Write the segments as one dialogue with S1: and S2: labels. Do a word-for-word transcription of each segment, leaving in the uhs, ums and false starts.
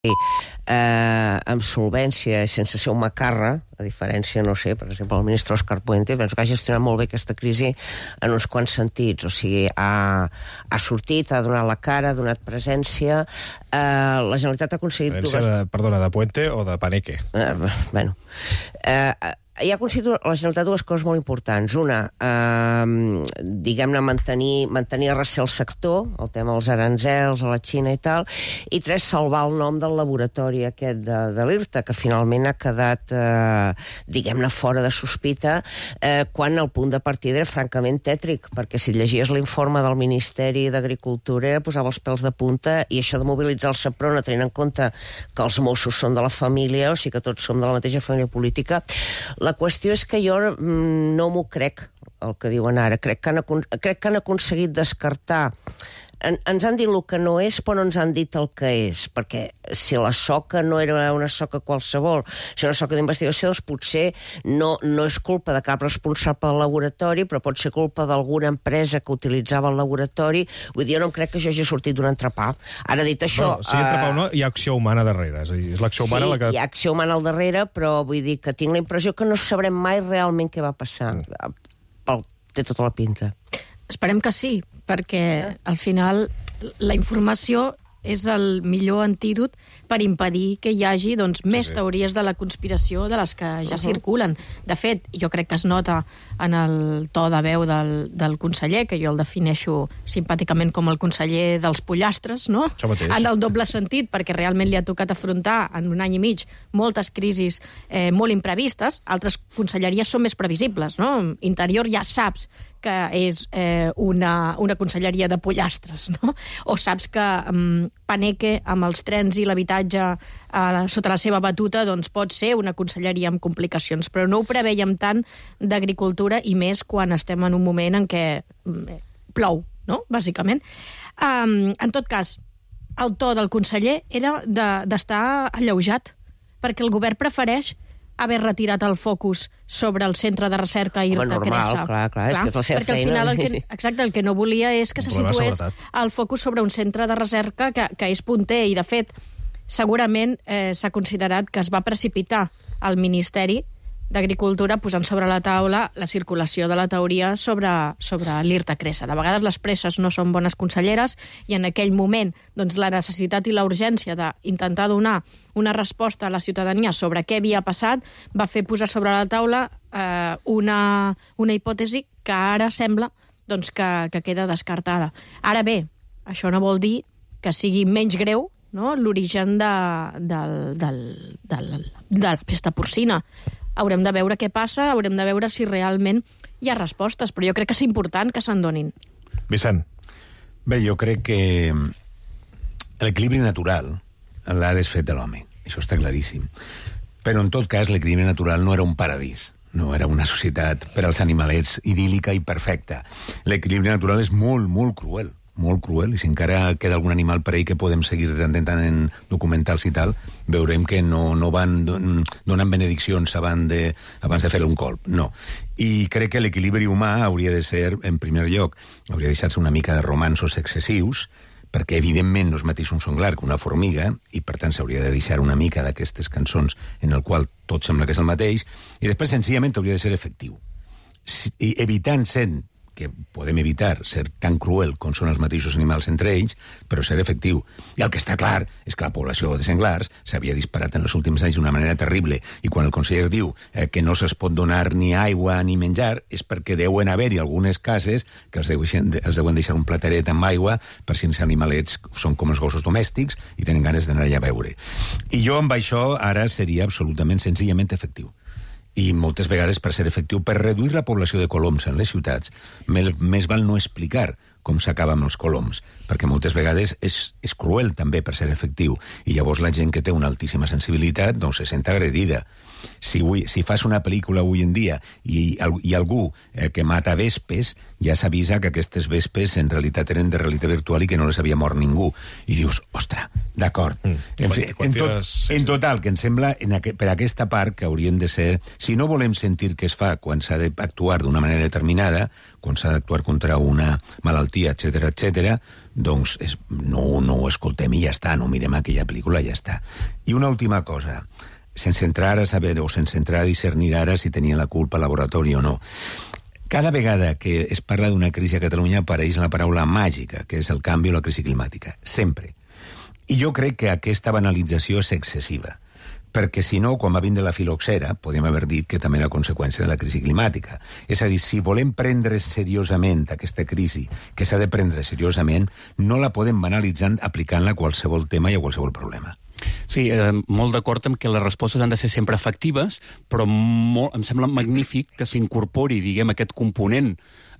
S1: Eh, amb solvència, sense ser un macarra, a diferència, no sé, per exemple, el ministre Òscar Puente, penso que ha gestionat molt bé aquesta crisi en uns quants sentits. O sigui, ha, ha sortit, ha donat la cara, ha donat presència. Eh, la Generalitat ha aconseguit...
S2: Dues... De, perdona, de Puente o de Paneque?
S1: Eh, bueno... Eh, hi ha aconseguit la Generalitat dues coses molt importants. Una, eh, diguem-ne, mantenir, mantenir a recer el sector, el tema dels aranzels, a la Xina i tal, i tres, salvar el nom del laboratori aquest de, de l'IRTA, que finalment ha quedat, eh, diguem-ne, fora de sospita, eh, quan el punt de partida era francament tètric, perquè si llegies l'informe del Ministeri d'Agricultura posava els pèls de punta, i això de mobilitzar el SEPRONA, tenint en compte que els Mossos són de la família, o sigui que tots som de la mateixa família política. La qüestió és que jo no m'ho crec, el que diuen ara. Crec que han, crec que han aconseguit descartar... En, ens han dit el que no és, però no ens han dit el que és, perquè si la soca no era una soca qualsevol, si era una soca d'investigació, doncs potser no, no és culpa de cap responsable del laboratori, però pot ser culpa d'alguna empresa que utilitzava el laboratori. Vull dir, jo no em crec que això hagi sortit d'un entrepà. Ara, dit això...
S2: Bueno, si entrepà o no, hi ha acció humana darrere, és a dir, és l'acció humana
S1: sí,
S2: la que...
S1: hi ha acció humana al darrere, però vull dir que tinc la impressió que no sabrem mai realment què va passar. Mm. Té tota la pinta.
S3: Esperem que sí, perquè al final la informació és el millor antídot per impedir que hi hagi doncs, més sí, sí. teories de la conspiració de les que ja uh-huh. circulen. De fet, jo crec que es nota en el to de veu del, del conseller, que jo el defineixo simpàticament com el conseller dels pollastres, no? En el doble sentit, perquè realment li ha tocat afrontar en un any i mig moltes crisis eh, molt imprevistes. Altres conselleries són més previsibles, no? Interior ja saps que és eh, una, una conselleria de pollastres, no? O saps que um, Paneque, amb els trens i l'habitatge eh, sota la seva batuta, doncs pot ser una conselleria amb complicacions, però no ho preveiem tant d'agricultura, i més quan estem en un moment en què eh, plou, no? Bàsicament. Um, en tot cas, el to del conseller era d'estar de, alleujat, perquè el govern prefereix haver retirat el focus sobre el centre de recerca IRTA Cresa.
S1: Clar, clar, és que és la seva
S3: perquè
S1: feina.
S3: Al final el que, exacte, el que no volia és que se situés el focus sobre un centre de recerca que, que és punter, i de fet segurament eh, s'ha considerat que es va precipitar al Ministeri d'Agricultura posant sobre la taula la circulació de la teoria sobre, sobre l'IRTA Cresa. De vegades les presses no són bones conselleres, i en aquell moment doncs, la necessitat i la urgència d'intentar donar una resposta a la ciutadania sobre què havia passat va fer posar sobre la taula eh, una, una hipòtesi que ara sembla doncs, que, que queda descartada. Ara bé, això no vol dir que sigui menys greu, no?, l'origen de, de, de, de, de la pesta porcina. Haurem de veure què passa, haurem de veure si realment hi ha respostes, però jo crec que és important que se'n donin.
S2: Vicent.
S4: Bé, jo crec que l'equilibri natural l'ha desfet de l'home, això està claríssim. Però, en tot cas, l'equilibri natural no era un paradís, no era una societat per als animalets idíl·lica i perfecta. L'equilibri natural és molt, molt cruel, molt cruel, i si encara queda algun animal per ahí que podem seguir de tant en tant en documentals i tal, veurem que no, no van donant benediccions abans de, abans de fer un colp, no. I crec que l'equilibri humà hauria de ser, en primer lloc, hauria de deixar-se una mica de romansos excessius, perquè evidentment no és mateix un songlar que una formiga, i per tant s'hauria de deixar una mica d'aquestes cançons en el qual tot sembla que és el mateix, i després senzillament hauria de ser efectiu. Si, evitant sent que podem evitar ser tan cruel com són els mateixos animals entre ells, però ser efectiu. I el que està clar és que la població de senglars s'havia disparat en els últims anys d'una manera terrible, i quan el conseller diu eh, que no se'ls pot donar ni aigua ni menjar, és perquè deuen haver-hi algunes cases que els deuen, els deuen deixar un plateret amb aigua per si els animalets són com els gossos domèstics i tenen ganes d'anar allà a beure. I jo amb això ara seria absolutament senzillament efectiu. I moltes vegades, per ser efectiu, per reduir la població de coloms en les ciutats, més val no explicar com s'acaba amb els coloms, perquè moltes vegades és, és cruel també per ser efectiu, i llavors la gent que té una altíssima sensibilitat doncs se sent agredida. Si, avui, si fas una pel·lícula avui en dia i hi ha algú eh, que mata vespes, ja s'avisa que aquestes vespes en realitat eren de realitat virtual i que no les havia mort ningú. I dius, ostres, d'acord. Mm. En, en, tot, en total, que em sembla en aqu per aquesta part que haurien de ser... Si no volem sentir què es fa quan s'ha d'actuar d'una manera determinada, quan s'ha d'actuar contra una malaltia, etcètera, etcètera, doncs és, no, no ho escoltem i ja està, no mirem aquella pel·lícula i ja està. I una última cosa, sense entrar a saber o sense entrar a discernir ara si tenia la culpa al laboratori o no. Cada vegada que es parla d'una crisi a Catalunya apareix la paraula màgica, que és el canvi o la crisi climàtica. Sempre. I jo crec que aquesta banalització és excessiva. Perquè si no, quan va vindre la filoxera, podem haver dit que també era conseqüència de la crisi climàtica. És a dir, si volem prendre seriosament aquesta crisi, que s'ha de prendre seriosament, no la podem banalitzar aplicant-la a qualsevol tema i a qualsevol problema.
S5: Sí, eh, molt d'acord amb que les respostes han de ser sempre efectives, però molt, em sembla magnífic que s'incorpori, diguem, aquest component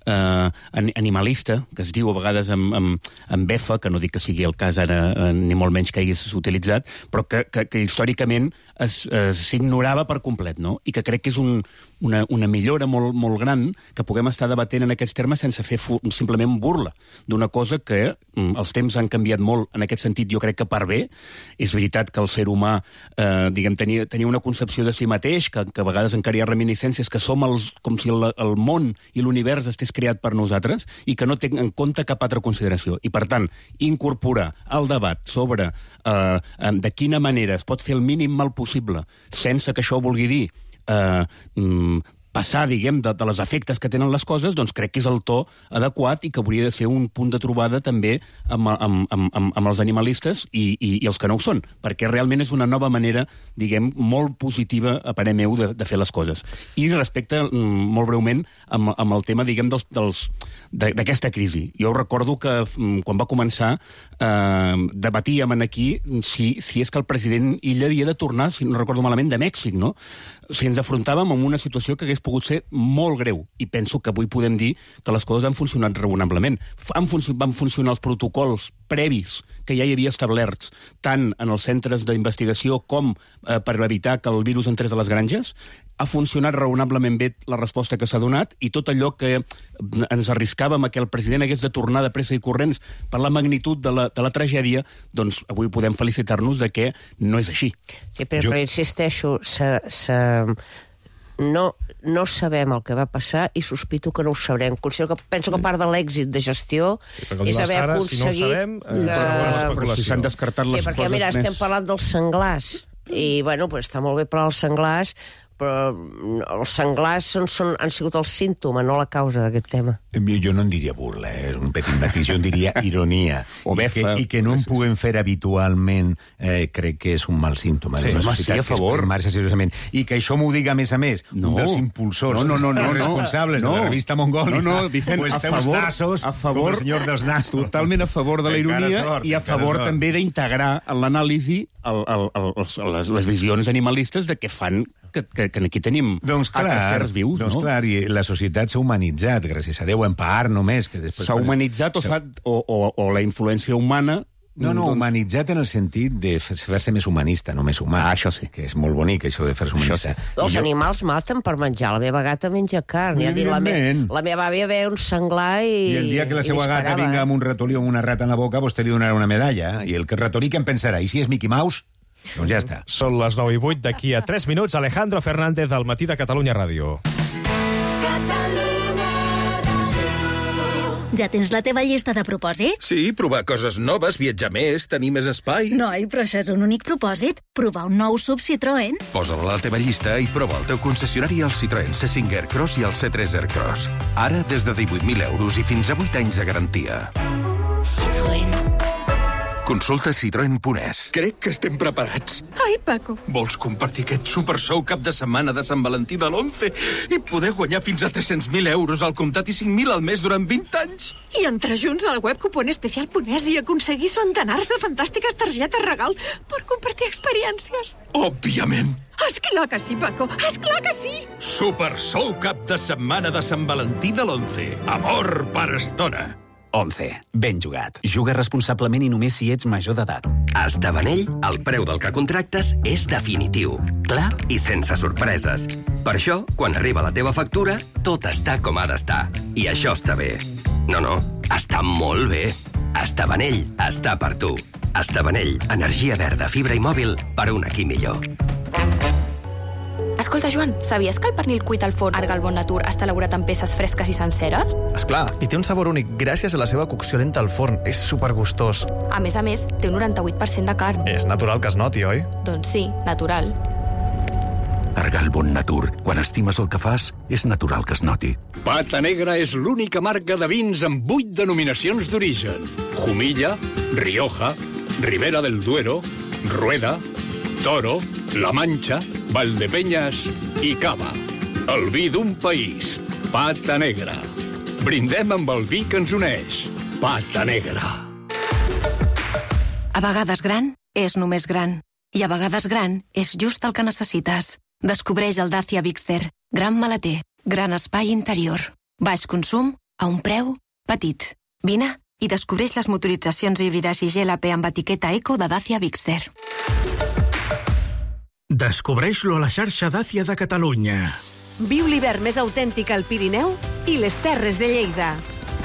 S5: eh, animalista, que es diu a vegades amb, amb, amb befa, que no dic que sigui el cas ara, eh, ni molt menys que hagués utilitzat, però que, que, que històricament s'ignorava per complet, no? I que crec que és un, una, una millora molt, molt gran que puguem estar debatent en aquests termes sense fer simplement burla d'una cosa que mm, els temps han canviat molt en aquest sentit, jo crec que per bé. És veritat que el ser humà eh, diguem, tenia, tenia una concepció de si mateix, que, que a vegades encara hi ha reminiscències, que som els, com si el, el món i l'univers estés creat per nosaltres i que no té en compte cap altra consideració. I, per tant, incorporar el debat sobre eh, de quina manera es pot fer el mínim mal possible sense que això vulgui dir eh, passar, diguem, de, de les efectes que tenen les coses, doncs crec que és el to adequat i que hauria de ser un punt de trobada també amb, amb, amb, amb, amb els animalistes i, i, i els que no ho són, perquè realment és una nova manera, diguem, molt positiva, a parer meu, de, de fer les coses. I respecte, molt breument, amb, amb el tema, diguem, dels, dels, d'aquesta crisi. Jo recordo que quan va començar eh, debatíem aquí si, si és que el president Illa havia de tornar, si no recordo malament, de Mèxic, no? O sigui, ens afrontàvem amb una situació que hagués pogut ser molt greu, i penso que avui podem dir que les coses han funcionat raonablement. Han func- van funcionar els protocols previs que ja hi havia establerts, tant en els centres d'investigació com eh, per evitar que el virus entrés a les granges. Ha funcionat raonablement bé la resposta que s'ha donat, i tot allò que ens arriscàvem a que el president hagués de tornar de pressa i corrents per la magnitud de la, de la tragèdia, doncs avui podem felicitar-nos de que no és així.
S1: Sí, però,
S4: Jo-
S1: però insisteixo, se, se, no, no sabem el que va passar i sospito que no ho sabrem. Considero que, penso que part de l'èxit de gestió
S2: perquè el
S1: és haver
S2: Sara,
S1: aconseguit...
S2: si no ho sabem, eh,
S1: que...
S2: segona
S5: Però
S2: especulació.
S5: si s'han descartat les
S1: Sí, perquè,
S5: coses
S1: mira,
S5: més...
S1: estem parlant dels senglars, i, bueno, pues, està molt bé per als senglars, però els senglars són, són, han sigut el símptoma, no la causa d'aquest tema.
S4: Jo no en diria burla, eh? Un petit matís, jo en diria ironia.
S5: O befa.
S4: I que, i que no en puguem fer habitualment, eh, crec que és un mal símptoma.
S5: Sí,
S4: de la
S5: home,
S4: societat
S5: sí, a favor.
S4: que es premar-se seriosament. I que això m'ho diga, a més a més,
S5: No.
S4: un dels impulsors,
S5: No, no, no, no, no.
S4: responsables
S5: No.
S4: de la revista Mongòlia.
S5: No, no, Vicent,
S4: pues
S5: a
S4: té uns
S5: favor-
S4: nassos,
S5: a favor-
S4: com el senyor dels nassos.
S5: Totalment a favor de la
S4: Encara
S5: ironia
S4: sort,
S5: i a
S4: encara
S5: favor
S4: sort.
S5: també d'integrar en l'anàlisi el, el, el, els, les, les visions animalistes de què fan que, que, que aquí tenim
S4: Doncs clar,
S5: éssers vius,
S4: doncs
S5: no?
S4: clar, i la societat s'ha humanitzat, gràcies a Déu, en part només. que després
S5: S'ha
S4: quan es-
S5: humanitzat o,
S4: s'ha-
S5: fa, o, o, o la influència humana...
S4: No, no,
S5: doncs,
S4: humanitzat en el sentit de fer- fer-se més humanista, no més humà.
S5: Ah, això sí.
S4: Que és molt bonic, això de fer-se humanista.
S5: sí.
S1: Els
S4: I jo-
S1: animals maten per menjar. La meva gata menja carn. Ja dic, la, me,
S4: Evidentment.
S1: la meva àvia ve un senglar i...
S4: I el dia que la
S1: i
S4: seva gata
S1: disparava,
S4: vinga
S1: eh?
S4: amb un ratolí o amb una rata en la boca, vostè li donarà una medalla. I el que ratolí, què en pensarà? I si és Mickey Mouse? Doncs ja està.
S2: Són les nou i vuit, d'aquí a tres minuts, Alejandro Fernández, al Matí de Catalunya Ràdio.
S6: Ja tens la teva llista de propòsits?
S7: Sí, provar coses noves, viatjar més, tenir més espai.
S6: Noi, però això és un únic propòsit. Provar un nou sub Citroën.
S7: Posa-la a la teva llista i prova el teu concessionari al Citroën C cinc Aircross i al C tres Aircross. Ara des de divuit mil euros i fins a vuit anys de garantia.
S6: Citroën.
S7: Consulta citroen punt es.
S8: Crec que estem preparats.
S6: Ai, Paco.
S8: Vols compartir aquest super sou cap de setmana de Sant Valentí de l'onze i poder guanyar fins a tres-cents mil euros al comptat i cinc mil al mes durant vint anys?
S9: I entrar junts al web cuponespecial punt es i aconseguir centenars de fantàstiques targetes regal per compartir experiències.
S8: Òbviament.
S9: Esclar que sí, Paco, esclar que sí!
S8: Super sou cap de setmana de Sant Valentí de l'onze. Amor per estona.
S10: once. Ben jugat. Juga responsablement i només si ets major d'edat.
S11: A Estabanell, el preu del que contractes és definitiu, clar i sense sorpreses. Per això, quan arriba la teva factura, tot està com ha d'estar. I això està bé. No, no, està molt bé. Estabanell està per tu. Estabanell, energia verda, fibra i mòbil per un aquí millor.
S12: Escolta, Joan, sabies que el pernil cuit al forn Arga al Bon Natur està elaborat en peces fresques i senceres?
S13: Esclar, i té un sabor únic gràcies a la seva cocció lenta al forn. És supergustós.
S12: A més a més, té un noranta-vuit per cent de carn.
S13: És natural que es noti, oi?
S12: Doncs sí, natural.
S7: Arga al Bon Natur. Quan estimes el que fas, és natural que es noti.
S14: Pata Negra és l'única marca de vins amb vuit denominacions d'origen. Jumilla, Rioja, Ribera del Duero, Rueda, Toro, La Mancha, Valdepeñas i Cava. El vi d'un país. Pata Negra. Brindem amb el vi que ens uneix. Pata Negra.
S15: A vegades gran és només gran. I a vegades gran és just el que necessites. Descobreix el Dacia Bigster. Gran maleter, gran espai interior. Baix consum a un preu petit. Vine i descobreix les motoritzacions híbrides i G L P amb etiqueta Eco de Dacia Bigster.
S16: Descobreix-lo a la xarxa Dacia de Catalunya.
S17: Viu l'hivern més autèntic al Pirineu i les Terres de Lleida.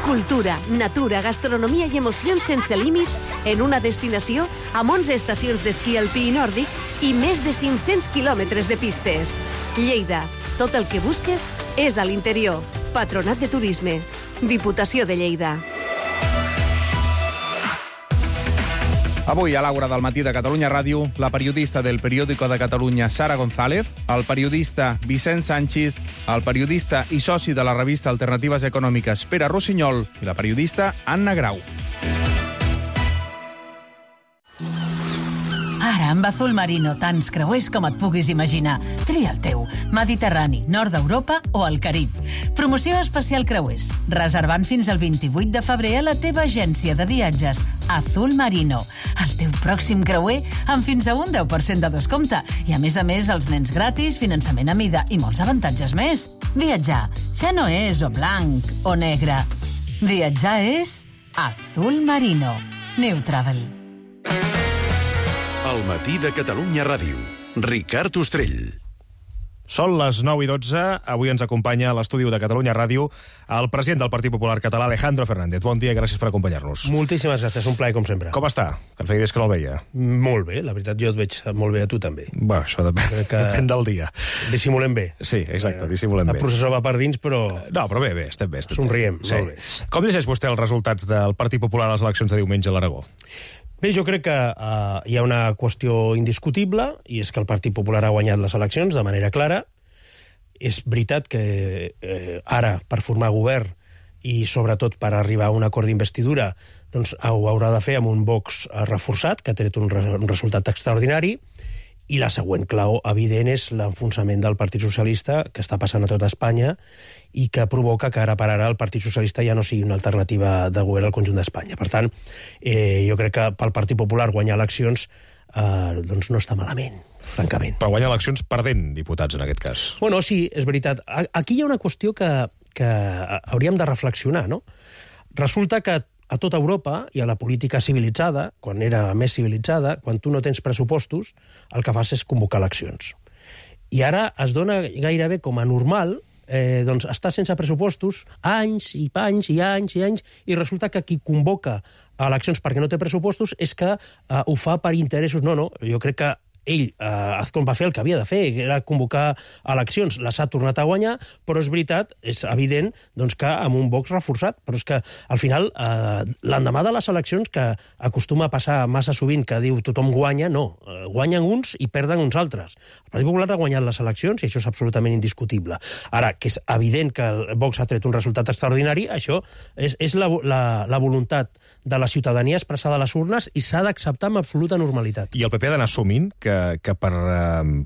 S17: Cultura, natura, gastronomia i emocions sense límits en una destinació amb onze estacions d'esquí alpí i nòrdic i més de cinc-cents quilòmetres de pistes. Lleida, tot el que busques és a l'interior. Patronat de Turisme. Diputació de Lleida.
S18: Avui, a l'Àgora del matí de Catalunya Ràdio, la periodista del Periódico de Catalunya, Sara González, el periodista Vicent Sanchis, el periodista i soci de la revista Alternatives Econòmiques, Pere Rossinyol, i la periodista Anna Grau.
S19: Ara, amb Azul Marino, tants creuers com et puguis imaginar. Tria el teu. Mediterrani, nord d'Europa o el Carib. Promoció especial creuers. Reservant fins al vint-i-vuit de febrer a la teva agència de viatges, Azul Marino. El teu pròxim creuer amb fins a un deu per cent de descompte. I a més a més, els nens gratis, finançament a mida i molts avantatges més. Viatjar ja no és o blanc o negre. Viatjar és Azul Marino. New Travel.
S7: El matí de Catalunya Ràdio. Ricard Ostrell.
S2: Són les nou i dotze. Avui ens acompanya a l'estudi de Catalunya Ràdio el president del Partit Popular català, Alejandro Fernández. Bon dia i gràcies per acompanyar-nos.
S20: Moltíssimes gràcies, un plaer com sempre.
S2: Com està? Que em feia dies que no el veia.
S20: Molt bé, la veritat jo et veig molt bé a tu també.
S2: Bé, això depèn, que... depèn del dia.
S20: Dissimulem bé.
S2: Sí, exacte, dissimulem
S20: bé. El processó va per dins, però...
S2: No, però bé, bé, estem bé. Estem
S20: Somriem,
S2: bé.
S20: molt bé.
S2: Com llegeix vostè els resultats del Partit Popular a les eleccions de diumenge a l'Aragó?
S20: Bé, jo crec que uh, hi ha una qüestió indiscutible, i és que el Partit Popular ha guanyat les eleccions de manera clara. És veritat que eh, ara, per formar govern i sobretot per arribar a un acord d'investidura, doncs ho haurà de fer amb un Vox reforçat, que ha tret un, re un resultat extraordinari, i la següent clau evident és l'enfonsament del Partit Socialista, que està passant a tota Espanya, i que provoca que ara per ara el Partit Socialista ja no sigui una alternativa de govern al conjunt d'Espanya. Per tant, eh, jo crec que pel Partit Popular guanyar eleccions eh, doncs no està malament, francament.
S2: Però guanya eleccions perdent diputats, en aquest cas.
S20: Bueno, sí, és veritat. Aquí hi ha una qüestió que, que hauríem de reflexionar, no? Resulta que a tota Europa i a la política civilitzada, quan era més civilitzada, quan tu no tens pressupostos, el que fas és convocar eleccions. I ara es dona gairebé com a normal eh, doncs estar sense pressupostos anys i anys i anys i anys, i resulta que qui convoca eleccions perquè no té pressupostos és que eh, ho fa per interessos. No, no, jo crec que ell, eh, Azcón va fer el que havia de fer, que era convocar eleccions, les ha tornat a guanyar, però és veritat, és evident, doncs, que amb un Vox reforçat, però és que al final, eh, l'endemà de les eleccions, que acostuma a passar massa sovint, que diu tothom guanya, no, eh, guanyen uns i perden uns altres. El Partit Popular ha guanyat les eleccions i això és absolutament indiscutible. Ara, que és evident que el Vox ha tret un resultat extraordinari, això és, és la, la, la voluntat de la ciutadania expressada a les urnes i s'ha d'acceptar amb absoluta normalitat.
S2: I el P P ha d'anar assumint que, que per,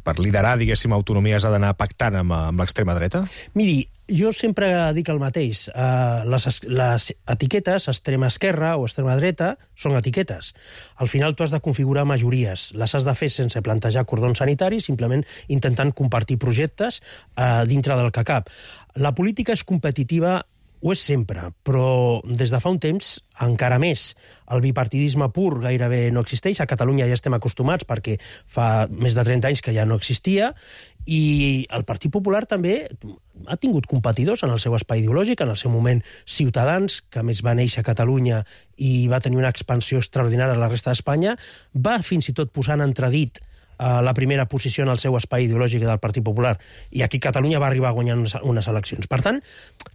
S2: per liderar, diguéssim, autonomies ha d'anar pactant amb, amb l'extrema dreta?
S20: Miri, jo sempre dic el mateix. Uh, les, les etiquetes, extrema esquerra o extrema dreta, són etiquetes. Al final tu has de configurar majories. Les has de fer sense plantejar cordons sanitaris, simplement intentant compartir projectes uh, dintre del que cap. La política és competitiva, ho és sempre, però des de fa un temps encara més. El bipartidisme pur gairebé no existeix. A Catalunya ja estem acostumats perquè fa més de trenta anys que ja no existia, i el Partit Popular també ha tingut competidors en el seu espai ideològic, en el seu moment Ciutadans, que a més va néixer a Catalunya i va tenir una expansió extraordinària a la resta d'Espanya, va fins i tot posar en entredit uh, la primera posició en el seu espai ideològic del Partit Popular, i aquí Catalunya va arribar a guanyar unes, unes eleccions. Per tant,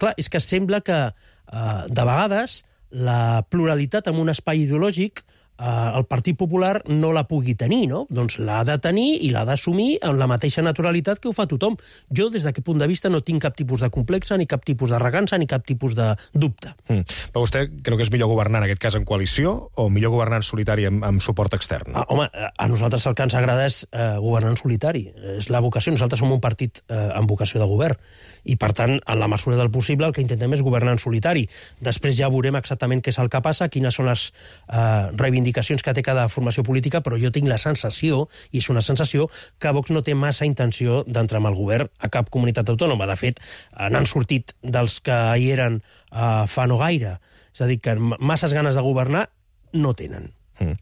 S20: clar, és que sembla que uh, de vegades la pluralitat en un espai ideològic el Partit Popular no la pugui tenir, no? Doncs l'ha de tenir i l'ha d'assumir amb la mateixa naturalitat que ho fa tothom. Jo, des d'aquest punt de vista, no tinc cap tipus de complexe, ni cap tipus d'arrogància, ni cap tipus de dubte.
S2: Mm. Però vostè creu que és millor governar, en aquest cas, en coalició, o millor governar en solitari amb, amb suport extern?
S20: Ah, home, a nosaltres el que ens agrada és eh, governar en solitari. És la vocació. Nosaltres som un partit eh, amb vocació de govern. I, per tant, en la mesura del possible, el que intentem és governar en solitari. Després ja veurem exactament què és el que passa, quines són les eh, reivindicacions que té cada formació política, però jo tinc la sensació, i és una sensació, que Vox no té massa intenció d'entrar amb el govern a cap comunitat autònoma. De fet, n'han sortit dels que hi eren eh, fa no gaire. És a dir, que masses ganes de governar no tenen.
S2: Mm.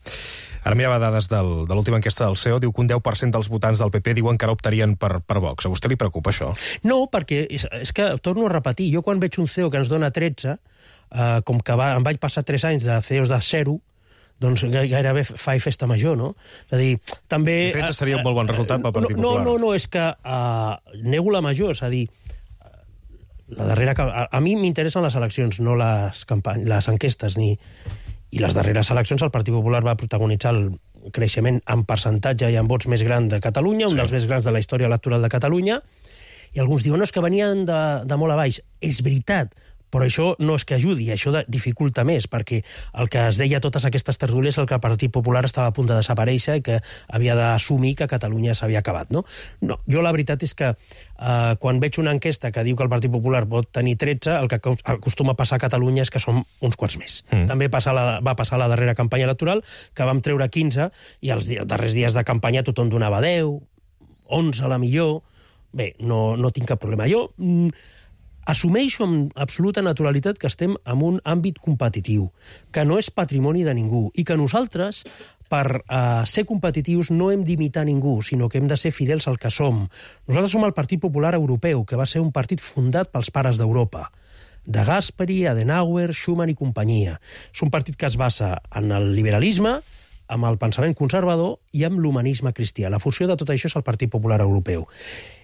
S2: Ara mirava dades del, de l'última enquesta del C E O, diu que un deu per cent dels votants del P P diuen que ara optarien per, per Vox. A vostè li preocupa això?
S20: No, perquè és, és que, torno a repetir, jo quan veig un C E O que ens dona tretze, eh, com que va, em vaig passar tres anys de C E Os de zero, doncs gairebé fa i festa major, no? És a dir, també...
S2: tretze seria un molt bon resultat pel Partit
S20: no,
S2: Popular.
S20: No, no, no, és que uh, nego la major, és a dir, la darrera... A, a mi m'interessen les eleccions, no les, campany... les enquestes, ni... I les darreres eleccions el Partit Popular va protagonitzar el creixement en percentatge i en vots més gran de Catalunya, un sí. dels més grans de la història electoral de Catalunya, i alguns diuen no, és que venien de, de molt a baix. És veritat, però això no és que ajudi, això dificulta més, perquè el que es deia a totes aquestes tertúlies és que el Partit Popular estava a punt de desaparèixer i que havia d'assumir que Catalunya s'havia acabat, no? No, jo la veritat és que eh, quan veig una enquesta que diu que el Partit Popular pot tenir tretze, el que acostuma a passar a Catalunya és que som uns quants més. Mm. També passa la, va passar la darrera campanya electoral, que vam treure quinze, i els darrers dies de campanya tothom donava deu, onze a la millor. Bé, no, no tinc cap problema. Jo... Mm, assumeixo amb absoluta naturalitat que estem en un àmbit competitiu, que no és patrimoni de ningú, i que nosaltres, per uh, ser competitius, no hem d'imitar ningú, sinó que hem de ser fidels al que som. Nosaltres som el Partit Popular Europeu, que va ser un partit fundat pels pares d'Europa, de Gasperi, Adenauer, Schuman i companyia. És un partit que es basa en el liberalisme, amb el pensament conservador i amb l'humanisme cristià. La fusió de tot això és el Partit Popular Europeu.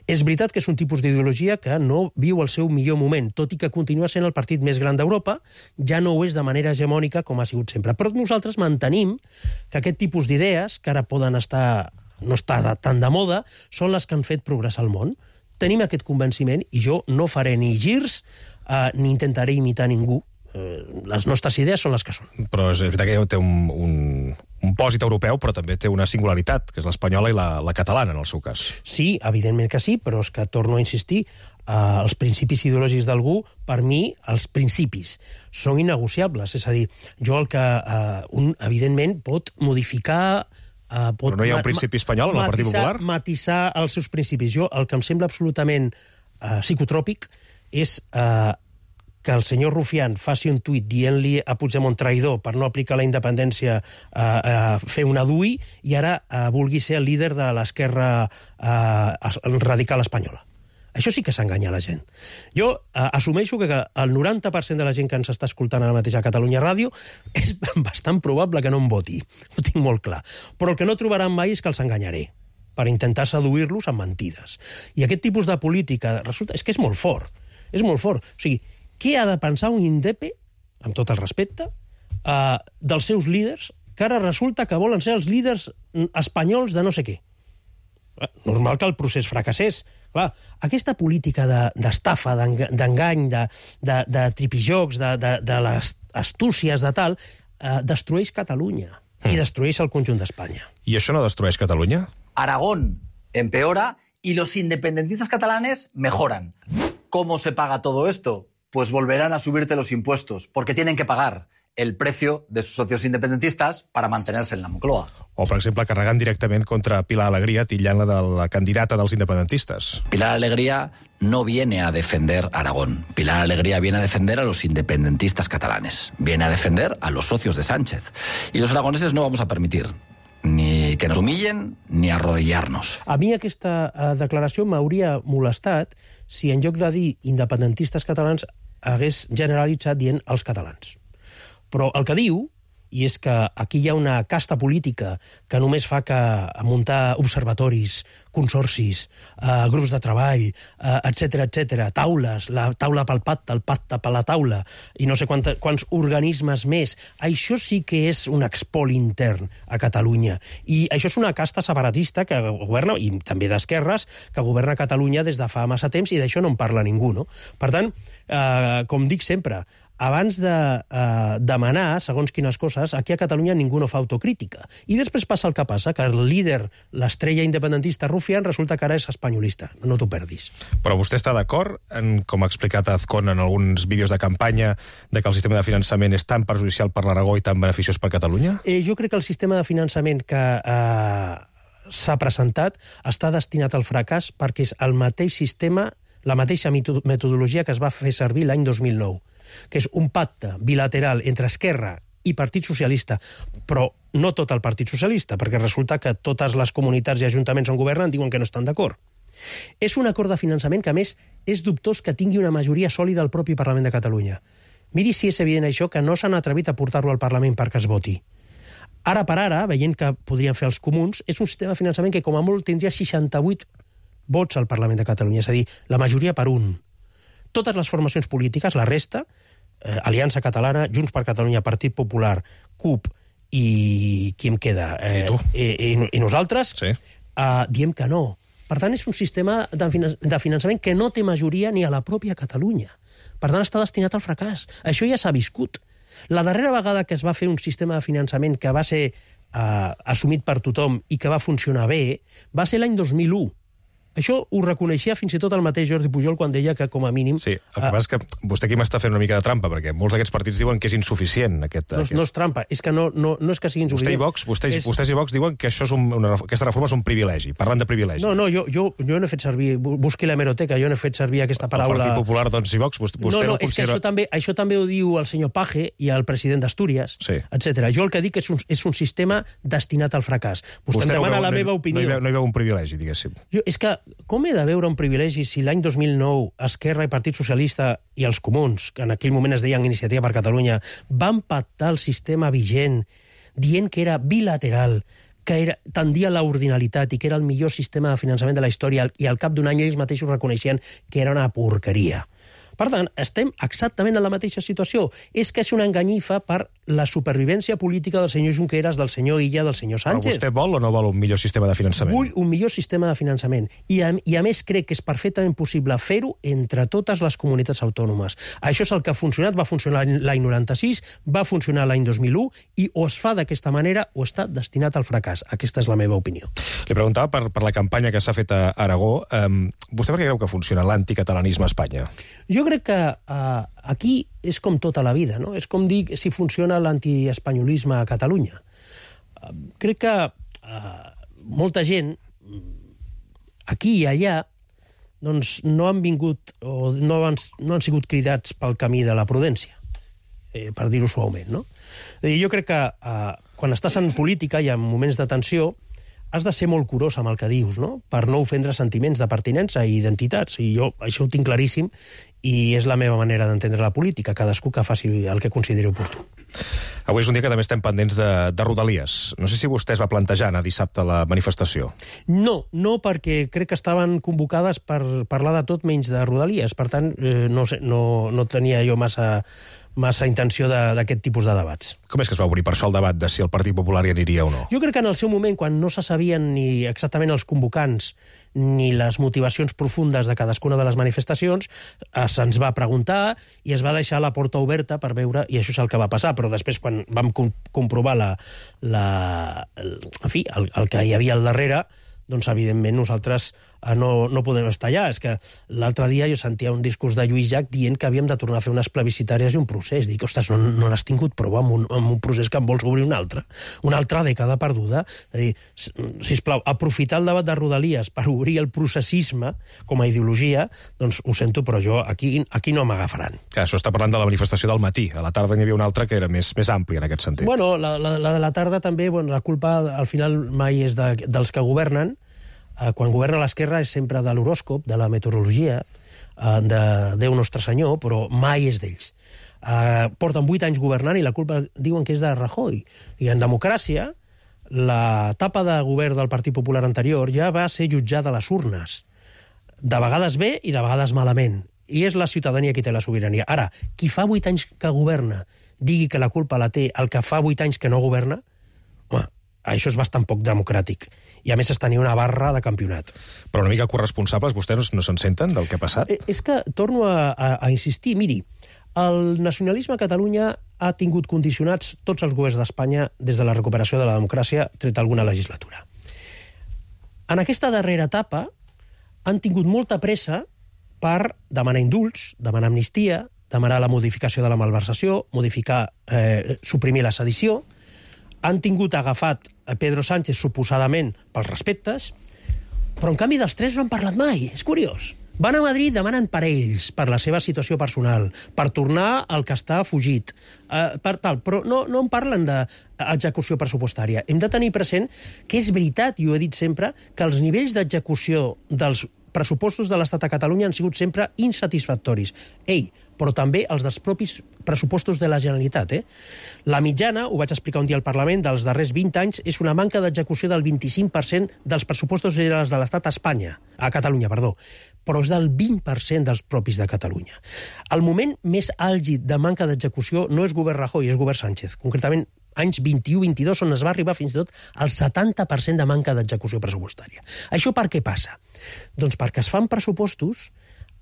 S20: És veritat que és un tipus d'ideologia que no viu el seu millor moment, tot i que continua sent el partit més gran d'Europa, ja no ho és de manera hegemònica com ha sigut sempre. Però nosaltres mantenim que aquest tipus d'idees, que ara poden estar, no estar de, tan de moda, són les que han fet progressar el món. Tenim aquest convenciment i jo no faré ni girs eh, ni intentaré imitar ningú. Eh, les nostres idees són les que són.
S2: Però és veritat que té un, un, un pòsit europeu, però també té una singularitat, que és l'espanyola i la, la catalana, en el seu cas.
S20: Sí, evidentment que sí, però és que torno a insistir, eh, els principis ideològics d'algú, per mi, els principis són innegociables. És a dir, jo el que eh, un, evidentment, pot modificar... Uh, pot
S2: però no hi ha un principi espanyol en el Partit Popular?
S20: Matisar els seus principis. Jo, el que em sembla absolutament uh, psicotròpic és uh, que el senyor Rufián faci un tuit dient-li a Puigdemont traïdor per no aplicar la independència a uh, uh, fer una D U I i ara uh, vulgui ser el líder de l'esquerra uh, radical espanyola. Això sí que s'enganya la gent. Jo eh, assumeixo que el noranta per cent de la gent que ens està escoltant ara mateix a Catalunya Ràdio és bastant probable que no em voti. Ho tinc molt clar. Però el que no trobaran mai és que els enganyaré per intentar seduir-los amb mentides. I aquest tipus de política resulta... És que és molt fort. És molt fort. O sigui, què ha de pensar un indepe, amb tot el respecte, eh, dels seus líders, que ara resulta que volen ser els líders espanyols de no sé què? Normal que el procés fracassés. Clar, aquesta política d'estafa, de, d'engany, de, de, de tripijocs, de, de, de les astúcies, de tal, eh, destrueix Catalunya mm. i destrueix el conjunt d'Espanya.
S2: I això no destrueix Catalunya?
S21: Aragón empeora y los independentistas catalanes mejoran. ¿Cómo se paga todo esto? Pues volverán a subirte los impuestos, porque tienen que pagar el precio de sus socios independentistas para mantenerse en la Moncloa.
S2: O, per exemple, carregant directament contra Pilar Alegría, titllant-la de la candidata dels independentistes.
S21: Pilar Alegría no viene a defender Aragón. Pilar Alegría viene a defender a los independentistas catalanes. Viene a defender a los socios de Sánchez. Y los aragoneses no vamos a permitir ni que nos humillen ni arrodillarnos.
S20: A mi aquesta uh, declaració m'hauria molestat si en lloc de dir independentistes catalans hagués generalitzat dient els catalans. Però el que diu i és que aquí hi ha una casta política que només fa que muntar observatoris, consorcis, eh, grups de treball, eh, etcètera, etcètera, taules, la taula pel pacte, el pacte per la taula, i no sé quants, quants organismes més. Això sí que és un expoli intern a Catalunya. I això és una casta separatista que governa, i també d'esquerres, que governa Catalunya des de fa massa temps, i d'això no en parla ningú, no? Per tant, eh, com dic sempre, abans de eh, demanar segons quines coses, aquí a Catalunya ningú no fa autocrítica. I després passa el que passa, que el líder, l'estrella independentista Rufián, resulta que ara és espanyolista. No t'ho perdis.
S2: Però vostè està d'acord, en, com ha explicat Azcón en alguns vídeos de campanya, de que el sistema de finançament és tan perjudicial per l'Aragó i tan beneficiós per Catalunya?
S20: Eh, jo crec que el sistema de finançament que eh, s'ha presentat està destinat al fracàs perquè és el mateix sistema, la mateixa metodologia que es va fer servir l'any dos mil nou, que és un pacte bilateral entre Esquerra i Partit Socialista, però no tot el Partit Socialista, perquè resulta que totes les comunitats i ajuntaments on governen diuen que no estan d'acord. És un acord de finançament que, a més, és dubtós que tingui una majoria sòlida al propi Parlament de Catalunya. Miri si és evident això, que no s'han atrevit a portar-lo al Parlament perquè es voti. Ara per ara, veient que podrien fer els comuns, és un sistema de finançament que com a molt tindria seixanta-vuit vots al Parlament de Catalunya, és a dir, la majoria per un. Totes les formacions polítiques, la resta, eh, Aliança Catalana, Junts per Catalunya, Partit Popular, C U P i qui em queda? Eh, I tu? I, i, i nosaltres sí. eh, diem que no. Per tant, és un sistema de, de finançament que no té majoria ni a la pròpia Catalunya. Per tant, està destinat al fracàs. Això ja s'ha viscut. La darrera vegada que es va fer un sistema de finançament que va ser eh, assumit per tothom i que va funcionar bé, va ser l'any dos mil u. Això ho reconeixia fins i tot el mateix Jordi Pujol quan deia que, com a mínim...
S2: Sí, el que passa és que vostè aquí m'està fent una mica de trampa, perquè molts d'aquests partits diuen que és insuficient. Aquest,
S20: no,
S2: aquest...
S20: no és trampa, és que no, no, no és que sigui insuficient.
S2: Vostè i Vox, vostès,
S20: és...
S2: vostès i Vox diuen que això és un, una, aquesta reforma és un privilegi, parlant de privilegi.
S20: No, no, jo, jo, jo no he fet servir... Busqui l'hemeroteca, jo no he fet servir aquesta paraula...
S2: El Partit Popular, doncs, i Vox, vostè no, no, no
S20: és
S2: considera...
S20: que això també, això també ho diu el senyor Page i el president d'Astúries, sí. etcètera. Jo el que dic és un, és un sistema destinat al fracàs. Vostè, vostè em demana
S2: veu,
S20: la
S2: no,
S20: meva opinió.
S2: No hi, veu, no hi veu un privilegi, diguéssim.
S20: Jo, és que com he de veure un privilegi si l'any dos mil nou Esquerra i Partit Socialista i els comuns, que en aquell moment es deien Iniciativa per Catalunya, van pactar el sistema vigent dient que era bilateral, que era, tendia a l'ordinalitat i que era el millor sistema de finançament de la història, i al cap d'un any ells mateixos reconeixien que era una porqueria. Per tant, estem exactament en la mateixa situació. És que és una enganyifa per la supervivència política del senyor Junqueras, del senyor Illa, del senyor Sánchez.
S2: Però vostè vol o no vol un millor sistema de finançament?
S20: Vull un millor sistema de finançament. I a, i a més crec que és perfectament possible fer-ho entre totes les comunitats autònomes. Això és el que ha funcionat, va funcionar l'any noranta-sis, va funcionar l'any dos mil u, i o es fa d'aquesta manera o està destinat al fracàs. Aquesta és la meva opinió.
S2: Li preguntava per, per la campanya que s'ha fet a Aragó. Um, vostè per què creu que funciona l'anticatalanisme a Espanya?
S20: Jo crec que uh, aquí és com tota la vida, no? És com dir si funciona l'antiespanyolisme a Catalunya. Uh, crec que uh, molta gent, aquí i allà, doncs no han vingut o no han, no han sigut cridats pel camí de la prudència, eh, per dir-ho suaument, no? Jo crec que uh, quan estàs en política i en moments de tensió has de ser molt curós amb el que dius, no? Per no ofendre sentiments de pertinença i identitats. I jo això ho tinc claríssim i és la meva manera d'entendre la política, cadascú que faci el que consideri oportú.
S2: Avui és un dia que també estem pendents de, de Rodalies. No sé si vostè es va plantejar anar dissabte a la manifestació.
S20: No, no, perquè crec que estaven convocades per parlar de tot menys de Rodalies. Per tant, eh, no, sé, no, no tenia jo massa... massa intenció d'aquest tipus de debats.
S2: Com és que es va obrir per això el debat de si el Partit Popular hi aniria o no?
S20: Jo crec que en el seu moment, quan no se sabien ni exactament els convocants ni les motivacions profundes de cadascuna de les manifestacions, eh, se'ns va preguntar i es va deixar la porta oberta per veure, i això és el que va passar, però després quan vam com comprovar la, la, el, en fi, el, el que hi havia al darrere, doncs evidentment nosaltres eh, no, no podem estar allà. És que l'altre dia jo sentia un discurs de Lluís Llach dient que havíem de tornar a fer unes plebiscitàries i un procés. Dic, ostres, no, no n'has tingut prou amb un, amb un procés que en vols obrir un altre? Una altra dècada perduda? És a dir, sisplau, aprofitar el debat de Rodalies per obrir el processisme com a ideologia, doncs ho sento, però jo aquí, aquí no m'agafaran.
S2: Clar, això està parlant de la manifestació del matí. A la tarda n'hi havia una altra que era més, més àmplia en aquest sentit.
S20: Bueno, la, la, la de la tarda també, bueno, la culpa al final mai és de, dels que governen. Quan governa l'esquerra és sempre de l'horòscop, de la meteorologia, de Déu Nostre Senyor, però mai és d'ells. Uh, porten vuit anys governant i la culpa diuen que és de Rajoy. I en democràcia, l'etapa de govern del Partit Popular anterior ja va ser jutjada a les urnes. De vegades bé i de vegades malament. I és la ciutadania qui té la sobirania. Ara, qui fa vuit anys que governa digui que la culpa la té el que fa vuit anys que no governa, home, això és bastant poc democràtic. I a més es tenia una barra de campionat.
S2: Però una mica corresponsables, vostès no se'n senten del que ha passat?
S20: Eh, és que torno a, a, a insistir. Miri, el nacionalisme a Catalunya ha tingut condicionats tots els governs d'Espanya des de la recuperació de la democràcia, tret alguna legislatura. En aquesta darrera etapa han tingut molta pressa per demanar indults, demanar amnistia, demanar la modificació de la malversació, modificar, eh, suprimir la sedició. Han tingut agafat a Pedro Sánchez suposadament pels respectes, però en canvi dels tres no han parlat mai. És curiós. Van a Madrid, demanen per ells, per la seva situació personal, per tornar al que està fugit, eh, per tal, però no, no en parlen d'execució pressupostària. Hem de tenir present que és veritat, i ho he dit sempre, que els nivells d'execució dels pressupostos de l'Estat a Catalunya han sigut sempre insatisfactoris. Ei, però també els dels propis pressupostos de la Generalitat. Eh? La mitjana, ho vaig explicar un dia al Parlament, dels darrers vint anys, és una manca d'execució del vint-i-cinc per cent dels pressupostos generals de l'Estat a Espanya, a Catalunya, perdó, però és del vint per cent dels propis de Catalunya. El moment més àlgid de manca d'execució no és govern Rajoy, és govern Sánchez. Concretament, anys vint-i-u vint-i-dos, on es va arribar fins i tot al setanta per cent de manca d'execució pressupostària. Això per què passa? Doncs perquè es fan pressupostos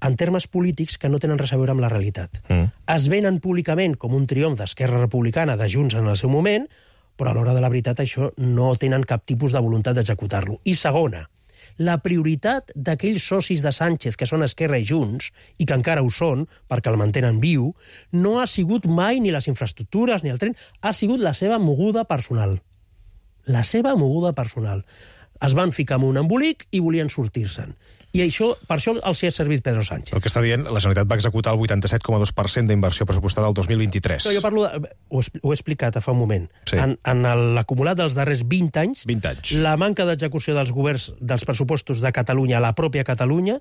S20: en termes polítics que no tenen res a veure amb la realitat. Mm. Es venen públicament com un triomf d'Esquerra Republicana, de Junts en el seu moment, però a l'hora de la veritat això no tenen cap tipus de voluntat d'executar-lo. I segona, la prioritat d'aquells socis de Sánchez, que són Esquerra i Junts, i que encara ho són, perquè el mantenen viu, no ha sigut mai ni les infraestructures ni el tren, ha sigut la seva moguda personal. La seva moguda personal. Es van ficar en un embolic i volien sortir-se'n. I això, per això els hi ha servit Pedro Sánchez.
S2: El que està dient, la Generalitat va executar el vuitanta-set coma dos per cent d'inversió pressupostada el dos mil vint-i-tres.
S20: No, jo parlo de, ho, ho he explicat fa un moment.
S2: Sí.
S20: En, en l'acumulat dels darrers vint anys,
S2: vint anys,
S20: la manca d'execució dels governs dels pressupostos de Catalunya a la pròpia Catalunya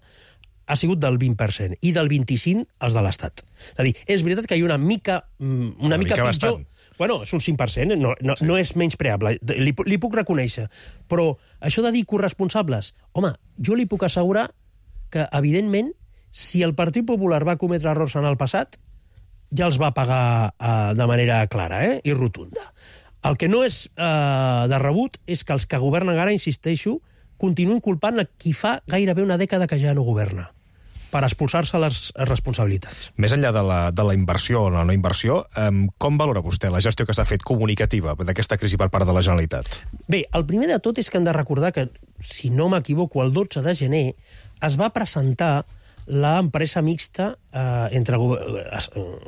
S20: ha sigut del vint per cent i del vint-i-cinc per cent als de l'Estat. És a dir, és veritat que hi ha una mica, una, una mica, mica pitjor... Bastant. Bueno, és un cinc per cent, no, no, sí. no és menys preable, li, li puc reconèixer. Però això de dir corresponsables, home, jo li puc assegurar que, evidentment, si el Partit Popular va cometre errors en el passat, ja els va pagar eh, de manera clara eh, i rotunda. El que no és eh, de rebut és que els que governen ara, insisteixo, continuen culpant a qui fa gairebé una dècada que ja no governa, per expulsar-se les responsabilitats.
S2: Més enllà de la, de la inversió o la no inversió, eh, com valora vostè la gestió que s'ha fet comunicativa d'aquesta crisi per part de la Generalitat?
S20: Bé, el primer de tot és que hem de recordar que, si no m'equivoco, el dotze de gener es va presentar l'empresa mixta eh, entre go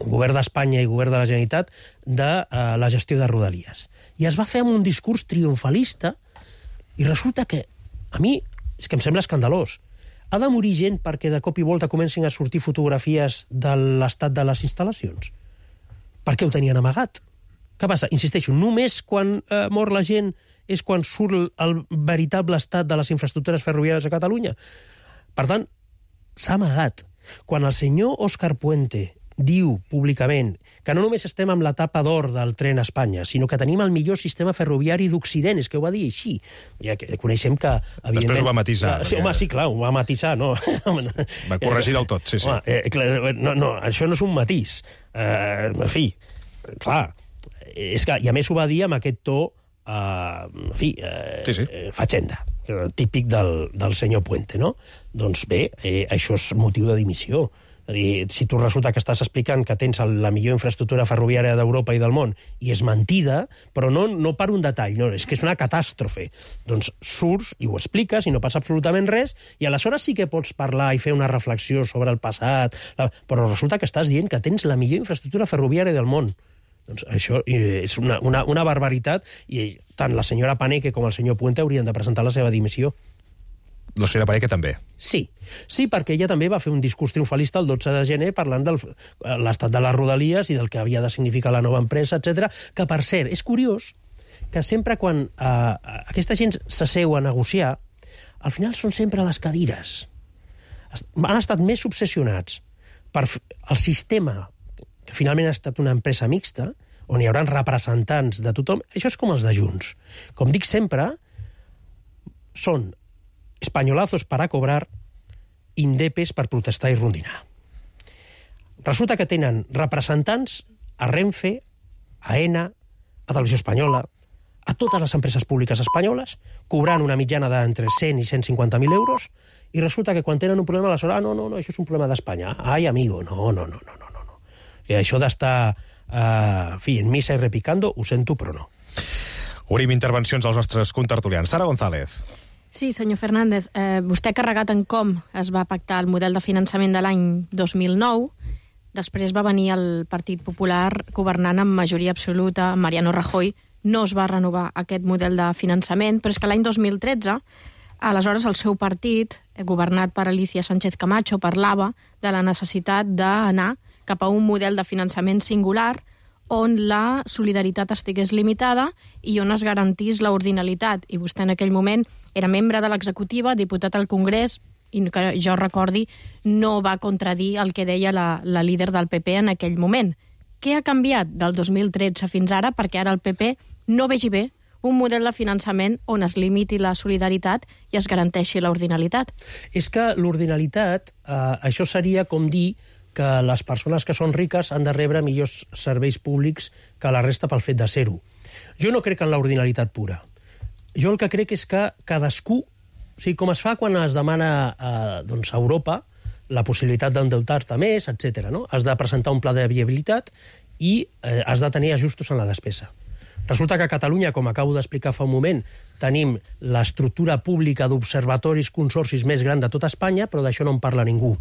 S20: govern d'Espanya i govern de la Generalitat de eh, la gestió de Rodalies. I es va fer amb un discurs triomfalista i resulta que, a mi, és que em sembla escandalós. Ha de morir gent perquè de cop i volta comencin a sortir fotografies de l'estat de les instal·lacions? Per què ho tenien amagat? Què passa? Insisteixo, només quan eh, mor la gent és quan surt el, el veritable estat de les infraestructures ferroviàries a Catalunya? Per tant, s'ha amagat. Quan el senyor Òscar Puente diu públicament que no només estem amb l'etapa d'or del tren a Espanya, sinó que tenim el millor sistema ferroviari d'Occident, és que ho va dir així. Ja que coneixem que, evidentment...
S2: Després ho va matisar.
S20: Sí, home, sí, clar, ho va matisar, no?
S2: Va corregir del tot, sí, sí.
S20: Home, eh, clar, no, no, això no és un matís. Eh, en fi, clar, és que, i a més ho va dir amb aquest to, eh, en fi, eh, sí, sí. fatxenda, típic del, del senyor Puente, no? Doncs bé, eh, això és motiu de dimissió. És a dir, si tu resulta que estàs explicant que tens la millor infraestructura ferroviària d'Europa i del món i és mentida, però no, no per un detall, no, és que és una catàstrofe. Doncs surts i ho expliques i no passa absolutament res i aleshores sí que pots parlar i fer una reflexió sobre el passat, però resulta que estàs dient que tens la millor infraestructura ferroviària del món. Doncs això és una, una, una barbaritat i tant la senyora Paneque com el senyor Puente haurien de presentar la seva dimissió.
S2: La senyora Paneque també.
S20: Sí, sí, perquè ella també va fer un discurs triomfalista el dotze de gener parlant de l'estat de les Rodalies i del que havia de significar la nova empresa, etcètera. Que, per cert, és curiós que sempre quan eh, aquesta gent s'asseu a negociar, al final són sempre a les cadires. Han estat més obsessionats per el sistema que finalment ha estat una empresa mixta, on hi haurà representants de tothom, això és com els de Junts. Com dic sempre, són espanyolazos para cobrar, indepes per protestar i rondinar. Resulta que tenen representants a Renfe, a ENA, a Televisió Espanyola, a totes les empreses públiques espanyoles, cobrant una mitjana d'entre cent i cent cinquanta mil euros, i resulta que quan tenen un problema, aleshores, ah, no, no, no, això és un problema d'Espanya. Ai, amigo, no, no, no, no, no, no. I això d'estar, uh, en fi, en missa i repicando, ho sento, però no.
S2: Obrim intervencions als nostres contertulians. Sara González.
S12: Sí, senyor Fernández, eh, vostè ha carregat en com es va pactar el model de finançament de l'any dos mil nou, després va venir el Partit Popular governant amb majoria absoluta, Mariano Rajoy, no es va renovar aquest model de finançament, però és que l'any dos mil tretze, aleshores el seu partit, governat per Alicia Sánchez Camacho, parlava de la necessitat d'anar cap a un model de finançament singular on la solidaritat estigués limitada i on es garantís l'ordinalitat. I vostè en aquell moment era membre de l'executiva, diputat al Congrés, i que jo recordi no va contradir el que deia la, la líder del P P en aquell moment. Què ha canviat del dos mil tretze fins ara perquè ara el P P no vegi bé un model de finançament on es limiti la solidaritat i es garanteixi l'ordinalitat?
S20: És que l'ordinalitat, eh, això seria com dir que les persones que són riques han de rebre millors serveis públics que la resta pel fet de ser-ho. Jo no crec en l'ordinalitat pura. Jo el que crec és que cadascú, o sigui, com es fa quan es demana eh, doncs, a Europa la possibilitat d'endeutar-te més, etcètera, no? Has de presentar un pla de viabilitat i eh, has de tenir ajustos en la despesa. Resulta que a Catalunya, com acabo d'explicar fa un moment, tenim l'estructura pública d'observatoris, consorcis més gran de tota Espanya, però d'això no en parla ningú.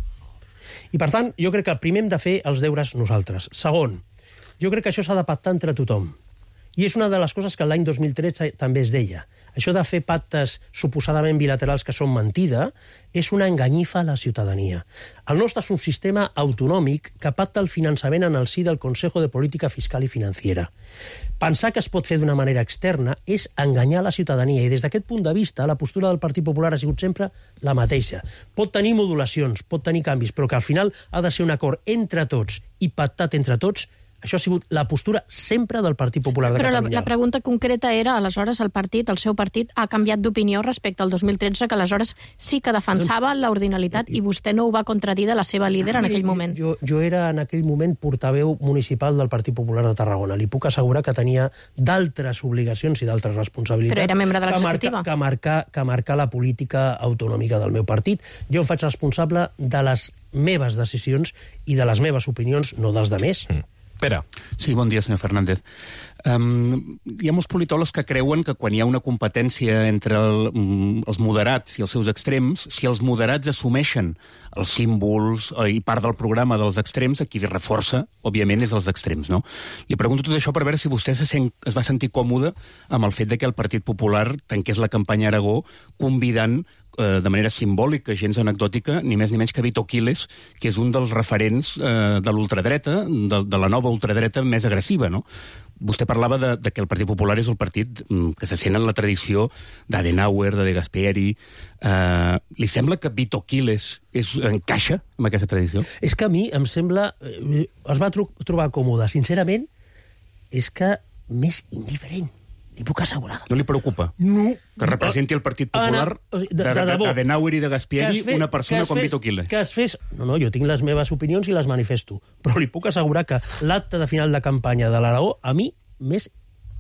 S20: I, per tant, jo crec que primer hem de fer els deures nosaltres. Segon, jo crec que això s'ha de pactar entre tothom. I és una de les coses que l'any dos mil tretze també es deia. Això de fer pactes suposadament bilaterals que són mentida és una enganyifa a la ciutadania. El nostre és un sistema autonòmic que pacta el finançament en el si del Consejo de Política Fiscal i Financiera. Pensar que es pot fer d'una manera externa és enganyar la ciutadania, i des d'aquest punt de vista la postura del Partit Popular ha sigut sempre la mateixa. Pot tenir modulacions, pot tenir canvis, però que al final ha de ser un acord entre tots i pactat entre tots. Això ha sigut la postura sempre del Partit Popular de
S12: Però
S20: Catalunya.
S12: Però la, la pregunta concreta era, aleshores, el partit, el seu partit, ha canviat d'opinió respecte al dos mil tretze, que aleshores sí que defensava doncs, l'ordinalitat, i vostè no ho va contradir de la seva líder en aquell moment.
S20: Jo, jo era en aquell moment portaveu municipal del Partit Popular de Tarragona. Li puc assegurar que tenia d'altres obligacions i d'altres responsabilitats.
S12: Però era membre de l'executiva.
S20: Que marcar, que marcar la política autonòmica del meu partit. Jo em faig responsable de les meves decisions i de les meves opinions, no dels demés. Mm.
S2: Pere.
S5: Sí, bon dia, senyor Fernández. Um, hi ha molts politòlegs que creuen que quan hi ha una competència entre el, um, els moderats i els seus extrems, si els moderats assumeixen els símbols i part del programa dels extrems, qui reforça, òbviament, és els extrems, no? Li pregunto tot això per veure si vostè se sent, es va sentir còmode amb el fet de que el Partit Popular tanqués la campanya a Aragó convidant eh, de manera simbòlica, gens anecdòtica, ni més ni menys que Vito Quiles, que és un dels referents eh, de l'ultradreta, de, de la nova ultradreta més agressiva, no? Vostè parlava de, de que el Partit Popular és el partit que se sent en la tradició d'Adenauer, de De Gasperi. Uh, li sembla que Vito Quiles és, encaixa amb aquesta tradició?
S20: És que a mi em sembla... Eh, es va tro trobar còmode. Sincerament, és que més indiferent. Li puc assegurar.
S5: No li preocupa?
S20: No.
S5: Que representi el Partit Popular d'Adenauer i de Gasperi una persona com Vito Quiles.
S20: Que es fes... No, no, jo tinc les meves opinions i les manifesto. Però li puc assegurar que l'acte de final de campanya de l'Aragó, a mi, m'és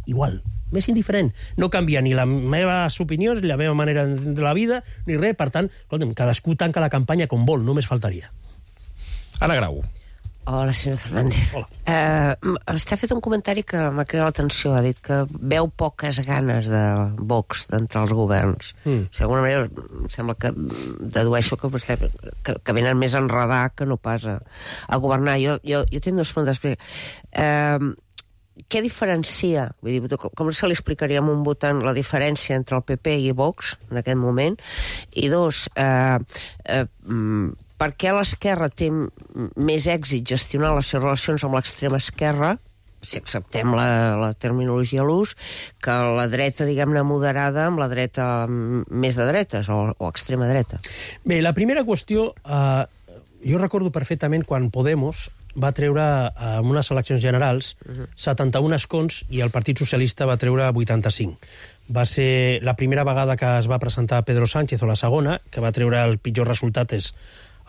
S20: igual, més indiferent. No canvia ni les meves opinions, ni la meva manera de la vida, ni res. Per tant, escolta'm, cadascú tanca la campanya com vol, només faltaria.
S2: Anna Grau.
S1: Hola, senyor Fernández.
S20: Hola.
S1: Eh, vostè ha fet un comentari que m'ha cridat l'atenció. Ha dit que veu poques ganes de Vox d'entrar als governs. Mm. D'alguna manera, em sembla que dedueixo que vostè que, que venen més a enredar que no pas a, a governar. Jo, jo, jo tinc dues preguntes. Eh, què diferencia, vull dir, com se li explicaria a un votant la diferència entre el P P i Vox en aquest moment? I dos, eh, eh, per què l'esquerra té més èxit gestionar les seves relacions amb l'extrema esquerra, si acceptem la, la terminologia a l'ús, que la dreta, diguem-ne, moderada amb la dreta més de dretes, o, o extrema dreta?
S20: Bé, la primera qüestió, eh, jo recordo perfectament quan Podemos va treure, en unes eleccions generals, setanta-un escons i el Partit Socialista va treure vuitanta-cinc. Va ser la primera vegada que es va presentar Pedro Sánchez, o la segona, que va treure el pitjor resultat. És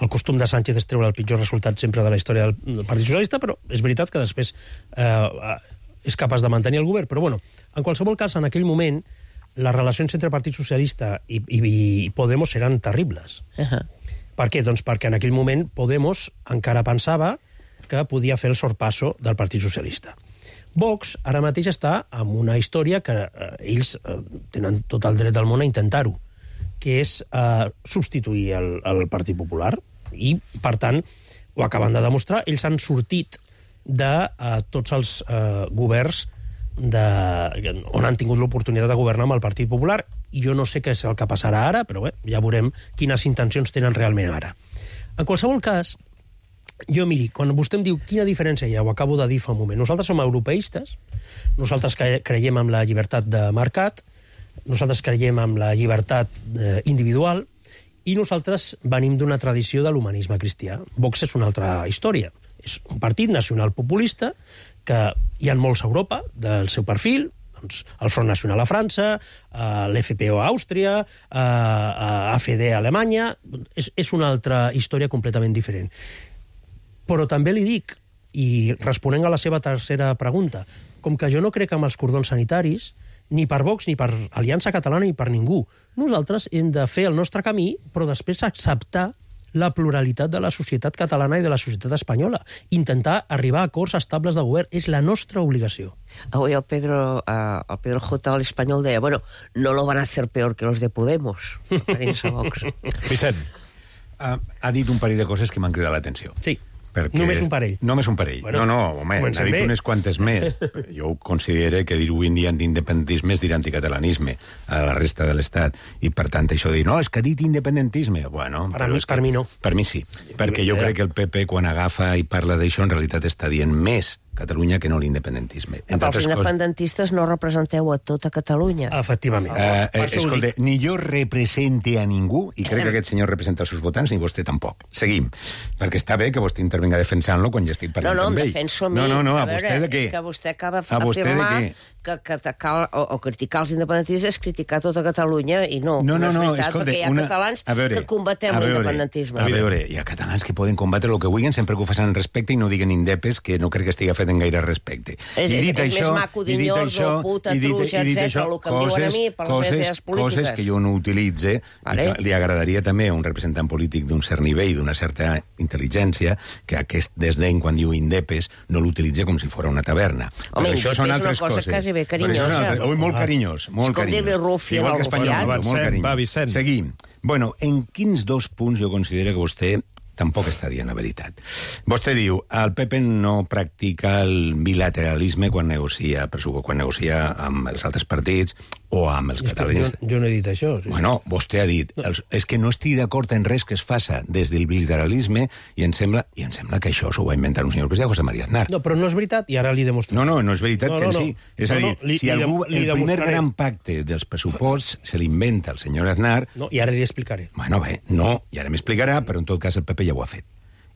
S20: el costum de Sánchez és treure el pitjor resultat sempre de la història del Partit Socialista, però és veritat que després eh, és capaç de mantenir el govern. Però, bueno, en qualsevol cas, en aquell moment, les relacions entre Partit Socialista i, i, i Podemos eren terribles.
S1: Uh-huh.
S20: Per què? Doncs perquè en aquell moment Podemos encara pensava que podia fer el sorpasso del Partit Socialista. Vox ara mateix està en una història que eh, ells eh, tenen tot el dret del món a intentar-ho, que és eh, substituir el, el Partit Popular, i, per tant, ho acaben de demostrar. Ells han sortit de eh, tots els eh, governs de, on han tingut l'oportunitat de governar amb el Partit Popular, i jo no sé què és el que passarà ara, però bé, ja veurem quines intencions tenen realment ara. En qualsevol cas, jo, miri, quan vostè em diu quina diferència hi ha, ho acabo de dir fa un moment, nosaltres som europeistes, nosaltres creiem en la llibertat de mercat, nosaltres creiem en la llibertat eh, individual, i nosaltres venim d'una tradició de l'humanisme cristià. Vox és una altra història. És un partit nacional populista que hi ha molts a Europa del seu perfil, doncs el Front Nacional a França, eh, l'F P O a Àustria, eh, A F D a Alemanya. És, és una altra història completament diferent. Però també li dic, i responent a la seva tercera pregunta, com que jo no crec en els cordons sanitaris, ni per Vox, ni per Aliança Catalana, ni per ningú. Nosaltres hem de fer el nostre camí, però després acceptar la pluralitat de la societat catalana i de la societat espanyola. Intentar arribar a acords estables de govern. És la nostra obligació.
S1: Avui el Pedro, uh, el Pedro J. al Espanyol deia, bueno, no lo van a hacer peor que los de Podemos, referint-se a Vox.
S2: Vicent.
S4: Uh, ha dit un parell de coses que m'han cridat l'atenció.
S20: Sí.
S4: Perquè...
S20: Només un parell.
S4: Només un parell.
S20: Bueno,
S4: no, no, home, n'ha dit bé. Unes quantes més. Jo considero que dir avui en dia d'independentisme és dir anticatalanisme a la resta de l'Estat. I, per tant, això de dir, no, és que ha dit independentisme. Bueno,
S20: per, mi, per
S4: que,
S20: mi no.
S4: Per mi sí. Perquè jo crec que el P P, quan agafa i parla d'això, en realitat està dient més Catalunya que no l'independentisme.
S1: Però els independentistes no representeu a tota Catalunya.
S20: Efectivament.
S4: Uh, eh, escolta, ni jo represente a ningú, i crec que aquest senyor representa els seus votants, ni vostè tampoc. Seguim. Perquè està bé que vostè intervenga defensant-lo quan ja estic parlant
S1: no, no,
S4: amb ell.
S1: No, no, em defenso a mi.
S4: No, no, no, a,
S1: a veure,
S4: vostè de què?
S1: És que vostè acaba d'afirmar que, que atacar o, o criticar els independentistes és criticar tota Catalunya, i no,
S4: no, no,
S1: no és
S4: no,
S1: veritat,
S4: escolta,
S1: perquè hi ha
S4: una...
S1: catalans
S4: veure,
S1: que combatem l'independentisme.
S4: A veure, hi ha catalans que poden combatre el que vulguin sempre que ho facin en respecte i no diguen indepes, que no crec que estigui fet en gaire respecte.
S1: És,
S4: I dit
S1: és,
S4: això,
S1: és més maco dinyordo, puta, truja, etcètera, el que em diuen a mi per les meves idees polítiques.
S4: Coses que jo no utilitze, vale. I que li agradaria també a un representant polític d'un cert nivell, d'una certa intel·ligència, que aquest desdeny quan diu indepes no l'utilitza com si fos una taverna.
S1: Home,
S4: però això són altres
S1: és una cosa
S4: coses.
S1: quasi bé carinyosa.
S4: Ui, molt carinyós, molt
S1: com
S4: carinyós.
S1: dir-li rufià al rufià.
S2: Avancem, va, Vicent.
S4: Seguim. Bueno, en quins dos punts jo considero que vostè tampoc està dient la veritat. Vostè diu, el P P no practica el bilateralisme quan negocia, quan negocia amb els altres partits o amb els catalans.
S20: Jo, jo no he dit això. Sí.
S4: Bueno, vostè ha dit, no. els, és que no estic d'acord en res que es faça des del bilateralisme i em sembla, i em sembla que això s'ho va inventar un senyor que es diu José María Aznar.
S20: No, però no és veritat i ara li demostraré.
S4: No, no, no és veritat no, que no, no. sí. És no, a dir, no, li, si algú, li, li el primer gran pacte dels pressuposts se l'inventa el senyor Aznar...
S20: No, i ara li explicaré.
S4: Bueno, bé, no, i ara m'explicarà, però en tot cas el P P ja ho ha fet.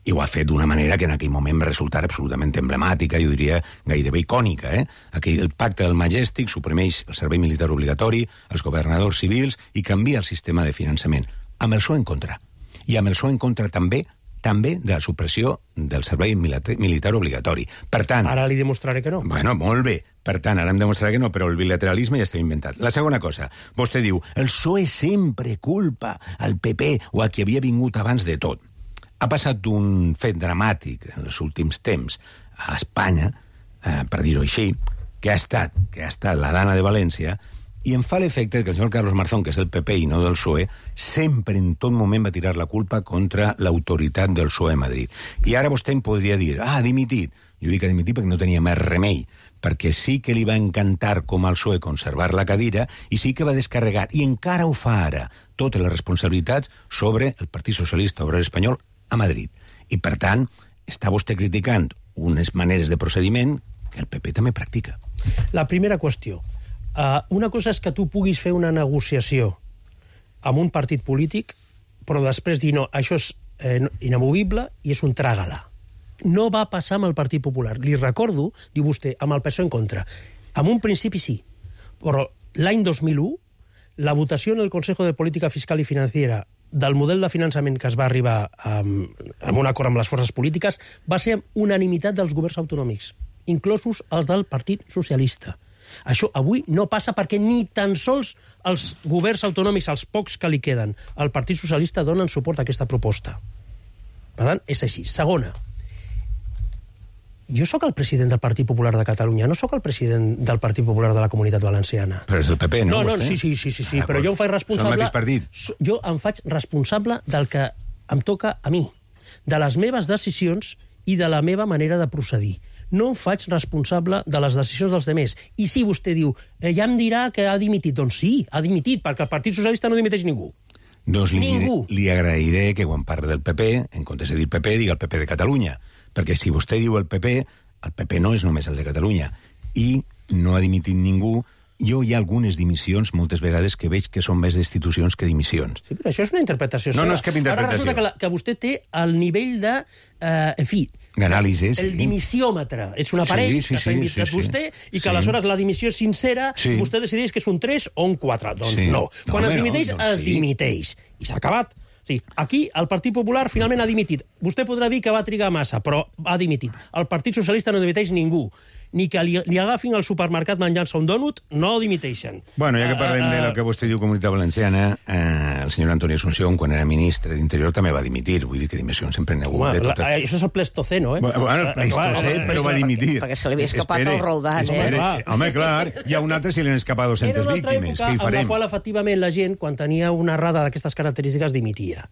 S4: I ho ha fet d'una manera que en aquell moment va resultar absolutament emblemàtica, jo diria gairebé icònica. Eh? Aquell, el pacte del Majestic suprimeix el servei militar obligatori, els governadors civils i canvia el sistema de finançament. Amb el S O en contra. I amb el S O en contra també també de la supressió del servei militar obligatori. Per tant...
S20: Ara li demostraré que no.
S4: Bueno, molt bé. Per tant, ara em demostraré que no, però el bilateralisme ja està inventat. La segona cosa, vostè diu, el S O E sempre culpa al P P o a qui havia vingut abans de tot. Ha passat un fet dramàtic en els últims temps a Espanya, eh, per dir-ho així, que ha estat que ha estat la Dana de València, i em fa l'efecte que el senyor Carlos Marzón, que és del P P i no del S O E, sempre en tot moment va tirar la culpa contra l'autoritat del S O E a Madrid. I ara vostè em podria dir, ah, ha dimitit. Jo dic que ha dimitit perquè no tenia més remei, perquè sí que li va encantar com al S O E conservar la cadira i sí que va descarregar, i encara ho fa ara, totes les responsabilitats sobre el Partit Socialista Obrer Espanyol a Madrid. I, per tant, està vostè criticant unes maneres de procediment que el P P també practica.
S20: La primera qüestió. Uh, una cosa és que tu puguis fer una negociació amb un partit polític, però després dir, no, això és eh, inamovible i és un tràgala. No va passar amb el Partit Popular. Li recordo, diu vostè, amb el P S O E en contra. En un principi sí, però l'any dos mil u, la votació en el Consejo de Política Fiscal i Financiera del model de finançament que es va arribar amb, amb un acord amb les forces polítiques va ser unanimitat dels governs autonòmics, inclosos els del Partit Socialista. Això avui no passa perquè ni tan sols els governs autonòmics, els pocs que li queden, al Partit Socialista donen suport a aquesta proposta. Per tant, és així. Segona, jo sóc el president del Partit Popular de Catalunya, no sóc el president del Partit Popular de la Comunitat Valenciana.
S4: Però és el P P, no?
S20: No, no,
S4: vostè?
S20: sí, sí, sí, sí, sí
S4: Ah,
S20: però jo em faig responsable...
S4: Són el mateix partit.
S20: Jo em faig responsable del que em toca a mi, de les meves decisions i de la meva manera de procedir. No em faig responsable de les decisions dels demés. I si vostè diu, eh, ja em dirà que ha dimitit, doncs sí, ha dimitit, perquè el Partit Socialista no dimiteix ningú.
S4: Doncs li,
S20: Ningú.
S4: li agrairé que quan parli del P P, en comptes de dir P P, diga el P P de Catalunya. Perquè si vostè diu el P P, el P P no és només el de Catalunya. I no ha dimitit ningú. Jo hi ha algunes dimissions, moltes vegades, que veig que són més destitucions que dimissions.
S20: Sí, però això és una interpretació
S4: No,
S20: seva.
S4: no és cap interpretació.
S20: Ara resulta que, la, que vostè té el nivell de... Eh, en fi...
S4: D'anàlisis.
S20: El dimissiòmetre. És un aparell
S4: Sí, sí,
S20: que s'ha
S4: sí,
S20: invitat
S4: sí, sí.
S20: vostè i que
S4: Sí.
S20: aleshores la dimissió és sincera,
S4: Sí.
S20: vostè decideix que és un tres o un quatre. Doncs
S4: Sí.
S20: no.
S4: No,
S20: Quan
S4: home,
S20: es
S4: no,
S20: dimiteix,
S4: doncs
S20: es
S4: sí.
S20: dimiteix. I s'ha acabat. Sí, aquí el Partit Popular finalment ha dimitit. Vostè podrà dir que va trigar massa, però ha dimitit. El Partit Socialista no dimiteix ningú. Ni que li, li agafin al supermercat menjant-se un dònut, no dimiteixen.
S4: Bueno, ja que parlem
S20: Uh, uh,
S4: del que vostè diu Comunitat Valenciana, eh, el senyor Antoni Asunción, quan era ministre d'Interior, també va dimitir. Vull dir que dimissions sempre n'hi ha hagut
S20: Home,
S4: de
S20: la,
S4: totes.
S20: això és el Pleistoceno, eh?
S4: Bueno, el Pleistocè, però va dimitir.
S1: Perquè se li havia escapat
S4: Espere,
S1: el Roldán, eh?
S4: espere.
S20: Home,
S4: Home, clar, hi ha un altre si li han escapat
S20: Era
S4: dues-centes
S20: una altra
S4: víctimes.
S20: època
S4: Què hi
S20: en la
S4: farem?
S20: qual, efectivament, la gent, quan tenia una errada d'aquestes característiques, dimitia.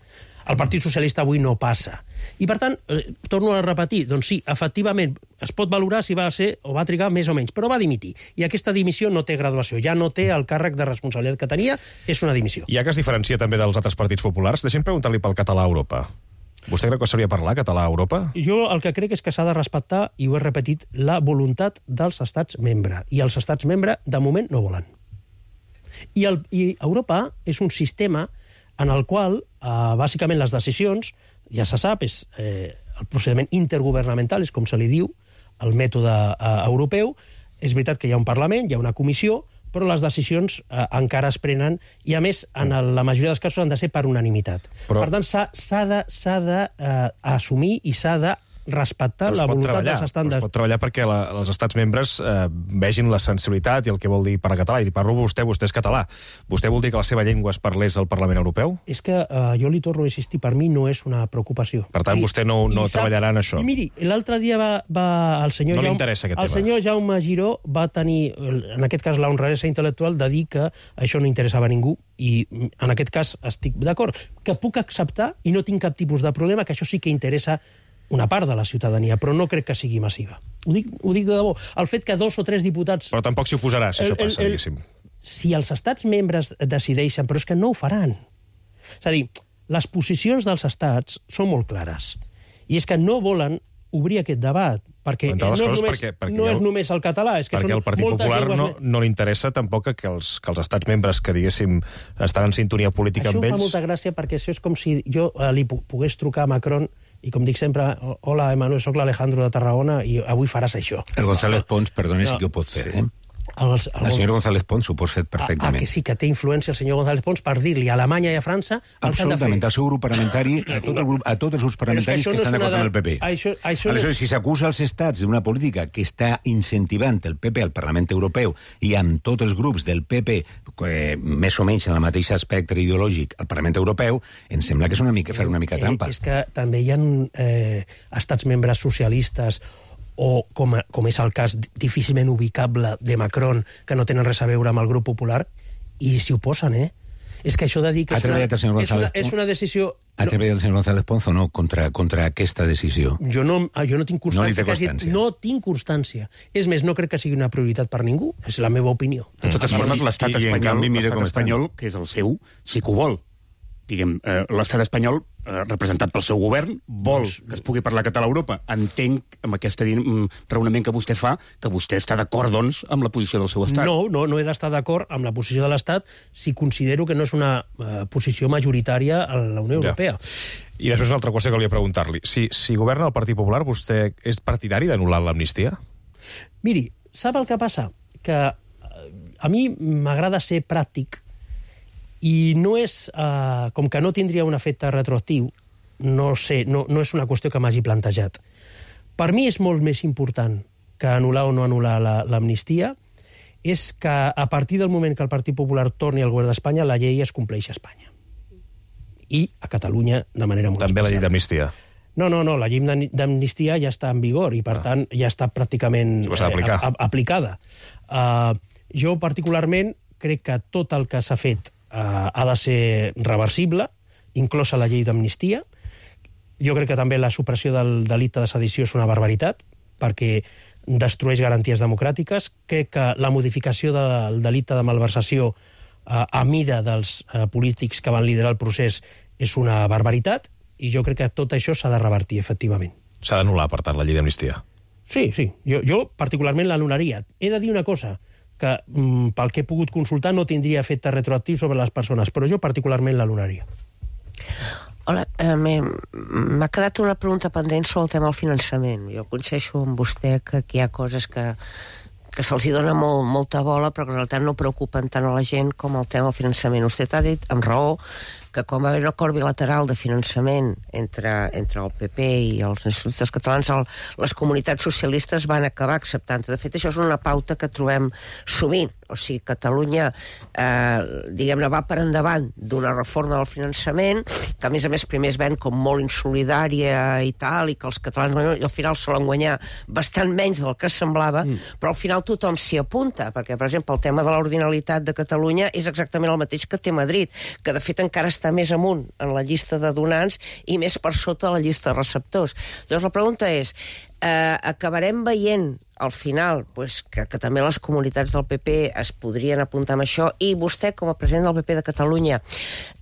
S20: El Partit Socialista avui no passa. I, per tant, eh, torno a repetir, doncs sí, efectivament, es pot valorar si va ser o va trigar més o menys, però va dimitir. I aquesta dimissió no té graduació, ja no té el càrrec de responsabilitat que tenia, és una dimissió.
S2: Ja que es diferencia també dels altres partits populars, deixem preguntar-li pel català a Europa. Vostè creu que s'hauria de parlar català a Europa?
S20: Jo el que crec és que s'ha de respectar, i ho he repetit, la voluntat dels estats membre. I els estats membre, de moment, no volen. I, el, i Europa és un sistema en el qual, eh, bàsicament, les decisions, ja se sap, és eh, el procediment intergovernamental, és com se li diu, el mètode eh, europeu. És veritat que hi ha un Parlament, hi ha una comissió, però les decisions eh, encara es prenen i, a més, en el, la majoria dels casos han de ser per unanimitat.
S2: Però...
S20: Per tant, s'ha de, s'ha de eh, assumir i s'ha de respectar
S2: Però es
S20: la
S2: pot
S20: voluntat
S2: treballar,
S20: dels
S2: però
S20: estàndards.
S2: es pot treballar perquè la, els estats membres eh, vegin la sensibilitat i el que vol dir per a català. I li parlo a vostè, vostè és català. Vostè vol dir que la seva llengua es parlés al Parlament Europeu?
S20: És que eh, jo li torno a insistir, per mi no és una preocupació.
S2: Per tant,
S20: I,
S2: vostè no, no
S20: i sap-
S2: treballarà en això.
S20: I miri, l'altre dia va, va el senyor
S2: No li
S20: Jaume,
S2: interessa aquest
S20: el
S2: tema.
S20: senyor Jaume Giró va tenir, en aquest cas, la honradesa intel·lectual de dir que això no interessava a ningú, i en aquest cas estic d'acord, que puc acceptar i no tinc cap tipus de problema, que això sí que interessa una part de la ciutadania, però no crec que sigui massiva. Ho dic, ho dic de debò. El fet que dos o tres diputats...
S2: Però tampoc s'hi oposarà, si
S20: El-
S2: això passa,
S20: el- el-
S2: diguéssim.
S20: Si els estats membres decideixen, però és que no ho faran. És a dir, les posicions dels estats són molt clares. I és que no volen obrir aquest debat, perquè
S2: Entre
S20: no,
S2: les
S20: és
S2: coses,
S20: només,
S2: perquè- perquè
S20: no
S2: hi ha-
S20: és només el català, és que
S2: Perquè
S20: són
S2: al Partit
S20: moltes
S2: Popular
S20: llengües
S2: no,
S20: més.
S2: no li interessa tampoc que els, que els estats membres que, diguéssim, estan en sintonia política
S20: Això
S2: amb
S20: em fa
S2: ells...
S20: molta gràcia perquè això és com si jo eh, li pu- pogués trucar a Macron i, com dic sempre, hola, Emmanuel, soc l'Alejandro de Tarragona i avui faràs això.
S4: El González Pons, perdone,
S20: No,
S4: sí que ho pot fer, eh?
S20: El, el,
S4: El senyor González Pons ho pot fer
S20: Ah,
S4: perfectament.
S20: que sí, que té influència el senyor González Pons per dir-li a Alemanya i a França el que han de fer.
S4: Absolutament, al seu grup parlamentari, a, tot el grup, a tots els grups
S20: Però és que
S4: parlamentaris
S20: això
S4: que,
S20: no
S4: estan
S20: és una
S4: d'acord amb el
S20: de-
S4: P P.
S20: això- això no
S4: Aleshores,
S20: és-
S4: si s'acusa als estats d'una política que està incentivant el P P al Parlament Europeu i amb tots els grups del P P eh, més o menys en el mateix espectre ideològic al Parlament Europeu, em sembla que és una mica fer una mica trampa.
S20: Eh, és que també hi ha eh, estats membres socialistes o, com, a, com és el cas difícilment ubicable de Macron, que no tenen res a veure amb el grup popular, i s'hi oposen, eh? És que això de dir que
S4: Ha
S20: és una,
S4: treballat el senyor
S20: és una,
S4: González
S20: és una decisió...
S4: Ha treballat el senyor González Pons o no contra, contra aquesta decisió?
S20: Jo no, jo no tinc
S4: No li té
S20: constància. que hagi-
S4: constància.
S20: No tinc constància. És més, no crec que sigui una prioritat per ningú. És la meva opinió.
S5: De totes formes, l'estat
S4: I- i en
S5: espanyol,
S4: canvi, mira
S5: l'estat
S4: com estan.
S5: espanyol, que és el seu, sí que ho vol. Diguem, eh, l'estat espanyol, eh, representat pel seu govern, vol que es pugui parlar català a Europa. Entenc, amb aquest raonament que vostè fa, que vostè està d'acord, doncs, amb la posició del seu estat.
S20: No, no, no he d'estar d'acord amb la posició de l'Estat si considero que no és una uh, posició majoritària a la Unió
S2: Ja.
S20: Europea.
S2: I després una altra qüestió que volia preguntar-li. Si, si governa el Partit Popular, vostè és partidari d'anul·lar l'amnistia?
S20: Miri, sap el que passa? Que a mi m'agrada ser pràctic i no és... Eh, com que no tindria un efecte retroactiu, no sé, no, no és una qüestió que m'hagi plantejat. Per mi és molt més important que anul·lar o no anul·lar l'amnistia, és que a partir del moment que el Partit Popular torni al govern d'Espanya, la llei es compleix a Espanya. I a Catalunya de manera molt
S2: També
S20: especial.
S2: la llei d'amnistia?
S20: No, no, no, la llei d'amnistia ja està en vigor i, per ah. tant, ja està pràcticament
S2: sí, eh,
S20: a, aplicada. Uh, jo, particularment, crec que tot el que s'ha fet uh, ha de ser reversible, inclosa la llei d'amnistia. Jo crec que també la supressió del delicte de sedició és una barbaritat, perquè destrueix garanties democràtiques. Crec que la modificació del delicte de malversació a mida dels polítics que van liderar el procés és una barbaritat, i jo crec que tot això s'ha de revertir, efectivament.
S2: S'ha d'anul·lar, per tant, la llei d'amnistia?
S20: Sí, sí. Jo, jo particularment l'anul·laria. He de dir una cosa, que mm, pel que he pogut consultar no tindria efecte retroactiu sobre les persones, però jo particularment l'anul·laria.
S1: Hola, eh, m'ha quedat una pregunta pendent sobre el tema del finançament. Jo coincideixo amb vostè que aquí hi ha coses que que se'ls dona molt, molta bola, però que en realitat no preocupen tant a la gent com el tema del finançament. Vostè ha dit, amb raó, que quan va haver un acord bilateral de finançament entre, entre el P P i els nacionalistes catalans, el, les comunitats socialistes van acabar acceptant. De fet, això és una pauta que trobem sovint. O sigui, Catalunya, eh, diguem-ne, va per endavant d'una reforma del finançament, que a més a més primer es ven com molt insolidària i tal, i que els catalans i al final se l'han guanyat bastant menys del que semblava, mm. però al final tothom s'hi apunta, perquè, per exemple, el tema de l'ordinalitat de Catalunya és exactament el mateix que té Madrid, que de fet encara està més amunt en la llista de donants i més per sota la llista de receptors. Llavors la pregunta és, eh, acabarem veient al final pues, que, que també les comunitats del P P es podrien apuntar amb això, i vostè, com a president del P P de Catalunya,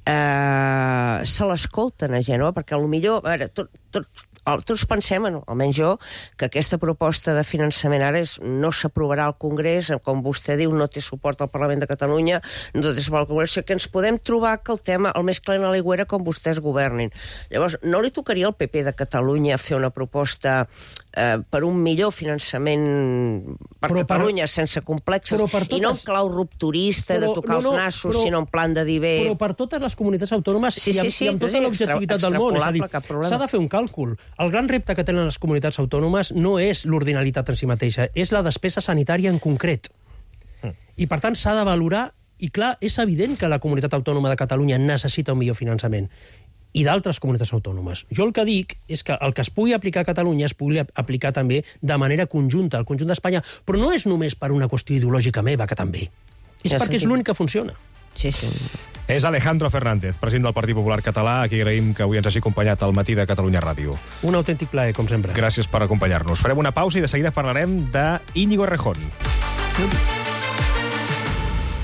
S1: eh, se l'escolten a Gènova, perquè potser, a veure, tot, tot, tots pensem, almenys jo, que aquesta proposta de finançament ara és, no s'aprovarà al Congrés, com vostè diu, no té suport al Parlament de Catalunya, no té suport al Congrés, que ens podem trobar que el tema, el més clar a l'aigüera, com vostès governin. Llavors, no li tocaria al P P de Catalunya fer una proposta eh, per un millor finançament per però Catalunya, per, sense complexes, totes, i no en clau rupturista, però, de tocar no, no, els nassos, però, sinó en plan de dir bé...
S20: Però per totes les comunitats autònomes sí, sí, i, amb, sí, i amb tota l'objectivitat del món, és a dir, s'ha de fer un càlcul. El gran repte que tenen les comunitats autònomes no és l'ordinalitat en si mateixa, és la despesa sanitària en concret. Mm. I, per tant, s'ha de valorar, i clar, és evident que la comunitat autònoma de Catalunya necessita un millor finançament, i d'altres comunitats autònomes. Jo el que dic és que el que es pugui aplicar a Catalunya es pugui aplicar també de manera conjunta al conjunt d'Espanya, però no és només per una qüestió ideològica meva, que també. És ja perquè és l'únic que funciona.
S1: Sí, sí.
S2: És Alejandro Fernández, president del Partit Popular Català, a qui agraïm que avui ens hagi acompanyat al matí de Catalunya Ràdio.
S20: Un autèntic plaer, com sempre.
S2: Gràcies per acompanyar-nos. Farem una pausa i de seguida parlarem d'Íñigo Errejón.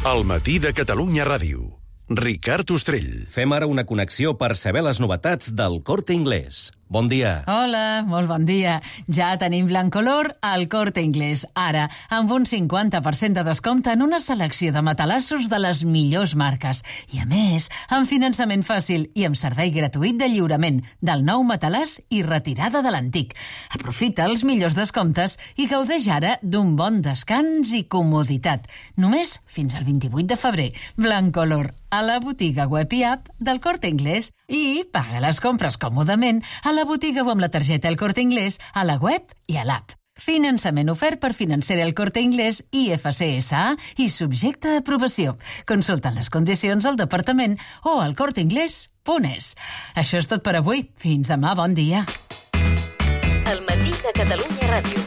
S7: Al matí de Catalunya Ràdio. Ricard Ostrell.
S3: Fem ara una connexió per saber les novetats del Corte Inglés. Bon dia.
S19: Hola, molt bon dia. Ja tenim Blancolor al Corte Inglés. Ara, amb un cinquanta per cent de descompte en una selecció de matalassos de les millors marques. I a més, amb finançament fàcil i amb servei gratuït de lliurament del nou matalàs i retirada de l'antic. Aprofita els millors descomptes i gaudeix ara d'un bon descans i comoditat. Només fins al vint-i-vuit de febrer. Blancolor, a la botiga web i app del Corte Inglés, i paga les compres còmodament a la botiga o amb la targeta El Corte Inglés, a la web i a l'app. Finançament ofert per financer El Corte Inglés i F C S A i subjecte a aprovació. Consulta les condicions al departament o al corteinglés punt es. Això és tot per avui. Fins demà, bon dia.
S17: El matí de Catalunya Ràdio.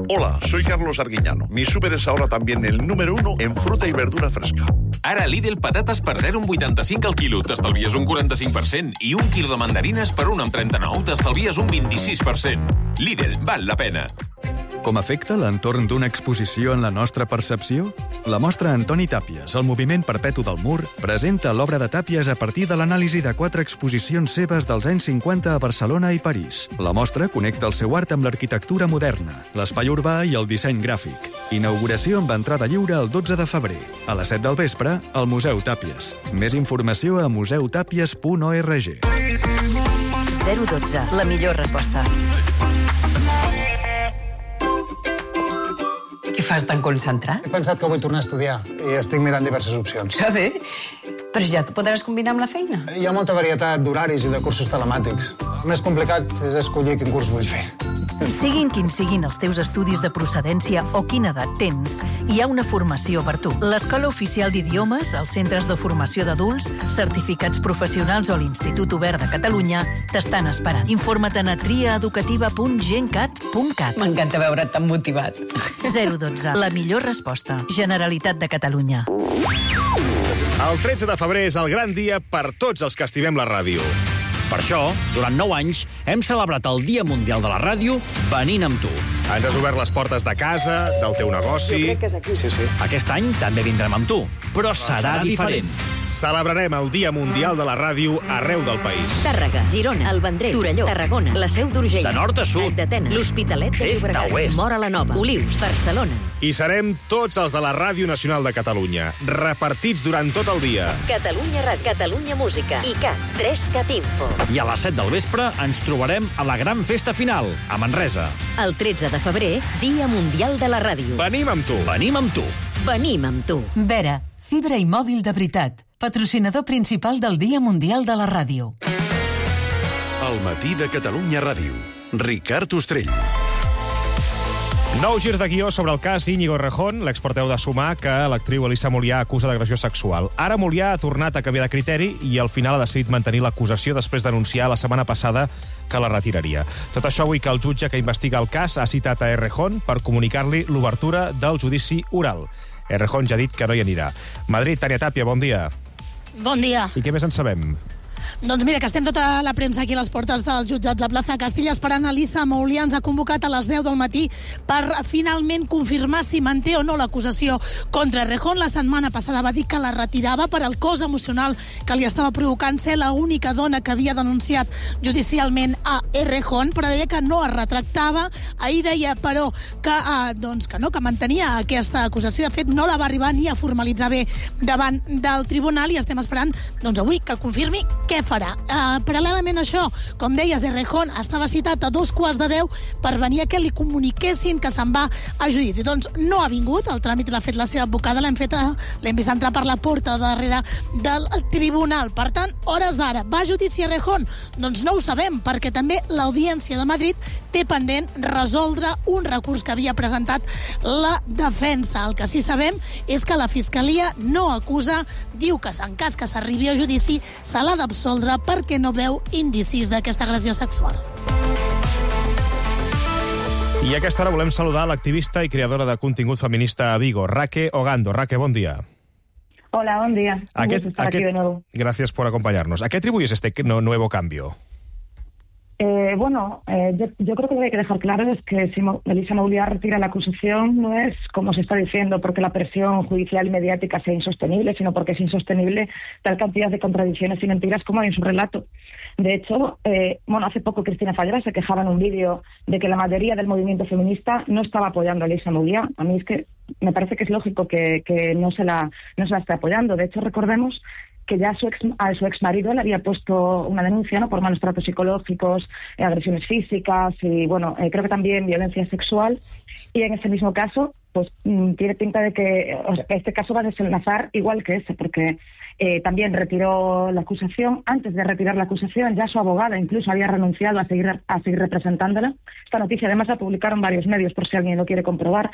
S22: Hola, soy Carlos Arguiñano. Mi súper es ahora también el número uno en fruta y verdura fresca.
S23: Ara Lidl patates per zero coma vuitanta-cinc al quilo, t'estalvies un quaranta-cinc per cent, i un quilo de mandarines per un coma trenta-nou, t'estalvies un vint-i-sis per cent. Lidl, val la pena.
S6: Com afecta l'entorn d'una exposició en la nostra percepció? La mostra Antoni Tàpies, el moviment perpetu del mur, presenta l'obra de Tàpies a partir de l'anàlisi de quatre exposicions seves dels anys cinquanta a Barcelona i París. La mostra connecta el seu art amb l'arquitectura moderna, l'espai urbà i el disseny gràfic. Inauguració amb entrada lliure el dotze de febrer. A les set del vespre, al Museu Tàpies. Més informació a museu tàpies punt org.
S8: zero dotze, la millor resposta.
S9: Què fas tan concentrat?
S24: He pensat que vull tornar a estudiar i estic mirant diverses opcions.
S9: Que bé, però ja t'ho podràs combinar amb la feina.
S24: Hi ha molta varietat d'horaris i de cursos telemàtics. El més complicat és escollir quin curs vull fer.
S19: Siguin quins siguin els teus estudis de procedència o quina edat tens, hi ha una formació per tu. L'Escola Oficial d'Idiomes, els centres de formació d'adults, certificats professionals o l'Institut Obert de Catalunya t'estan esperant. Informa't a triaeducativa punt gencat punt cat.
S9: M'encanta veure't tan motivat.
S19: zero dotze, la millor resposta. Generalitat de Catalunya.
S2: El tretze de febrer és el gran dia per tots els que estimem la ràdio.
S25: Per això, durant nou anys, hem celebrat el Dia Mundial de la Ràdio venint amb tu.
S2: Ens has obert les portes de casa, del teu negoci...
S24: Jo crec que és aquí. Sí, sí.
S25: Aquest any també vindrem amb tu, però serà diferent.
S2: Celebrarem el Dia Mundial de la Ràdio arreu del país.
S8: Tàrrega, Girona, el Vendrell, Torelló, Tarragona, la Seu d'Urgell,
S25: de nord a sud,
S8: d'Atenes, l'Hospitalet de Llobregat, Móra la Nova, Olius, Barcelona.
S2: I serem tots els de la Ràdio Nacional de Catalunya, repartits durant tot el dia.
S8: Catalunya Ràdio, Catalunya Música i Cat, tres Cat Info.
S25: I a les set del vespre ens trobarem a la gran festa final, a Manresa.
S8: El tretze de febrer, Dia Mundial de la Ràdio.
S2: Venim amb tu.
S25: Venim amb tu.
S8: Venim amb tu.
S19: Vera, fibra i mòbil de veritat. Patrocinador principal del Dia Mundial de la Ràdio.
S7: El matí de Catalunya Ràdio. Ricard Ostrell.
S2: Nou girs de guió sobre el cas Íñigo Errejón, l'exporteu de sumar que l'actriu Elisa Molià acusa d'agressió sexual. Ara Molià ha tornat a canviar de criteri i al final ha decidit mantenir l'acusació després d'anunciar la setmana passada que la retiraria. Tot això avui que el jutge que investiga el cas ha citat a Errejón per comunicar-li l'obertura del judici oral. Errejón ja ha dit que no hi anirà. Madrid, Tània Tàpia, bon dia.
S26: Bon dia.
S2: I què més en sabem?
S26: Doncs mira, que estem tota la premsa aquí a les portes dels jutjats de Plaza Castilla esperant. Elisa Molià ens ha convocat a les deu del matí per finalment confirmar si manté o no l'acusació contra Errejón. La setmana passada va dir que la retirava per al cos emocional que li estava provocant ser l'única dona que havia denunciat judicialment a Errejón, però deia que no es retractava. Ahir deia, però, que, eh, doncs, que no, que mantenia aquesta acusació. De fet, no la va arribar ni a formalitzar bé davant del tribunal i estem esperant, doncs, avui que confirmi què farà. Uh, paral·lelament a això, com deies, Errejón estava citat a dos quarts de deu per venir a que li comuniquessin que se'n va a judici. Doncs no ha vingut, el tràmit l'ha fet la seva advocada, l'hem fet, l'hem vist entrar per la porta darrere del tribunal. Per tant, hores d'ara, va a judici Errejón? Doncs no ho sabem, perquè també l'Audiència de Madrid té pendent resoldre un recurs que havia presentat la defensa. El que sí sabem és que la Fiscalia no acusa, diu que en cas que s'arribi a judici se l'ha d'absoldre perquè no veu indicis d'aquesta agressió sexual.
S2: I a aquesta hora volem saludar l'activista i creadora de contingut feminista a Vigo, Raque Ogando. Raque, bon dia.
S27: Hola, buen día. Un
S2: Aquest,
S27: gusto estar
S2: aquest,
S27: aquí de nuevo.
S2: Gracias por acompañarnos. ¿A qué atribuyes este nuevo cambio?
S27: Eh, bueno, eh, yo, yo creo que lo que hay que dejar claro es que si Elisa Molià retira la acusación no es, como se está diciendo, porque la presión judicial y mediática sea insostenible, sino porque es insostenible tal cantidad de contradicciones y mentiras como hay en su relato. De hecho, eh, bueno, hace poco Cristina Fallera se quejaba en un vídeo de que la mayoría del movimiento feminista no estaba apoyando a Elisa Molià. A mí es que me parece que es lógico que, que no se la, no se la esté apoyando. De hecho, recordemos que ya su ex, a su ex marido le había puesto una denuncia, ¿no?, por malos tratos psicológicos, eh, agresiones físicas y, bueno, eh, creo que también violencia sexual. Y en ese mismo caso, pues mm, tiene pinta de que o sea, este caso va a desenlazar igual que ese, porque eh, también retiró la acusación. Antes de retirar la acusación, ya su abogada incluso había renunciado a seguir, a seguir representándola. Esta noticia además la publicaron varios medios, por si alguien lo quiere comprobar.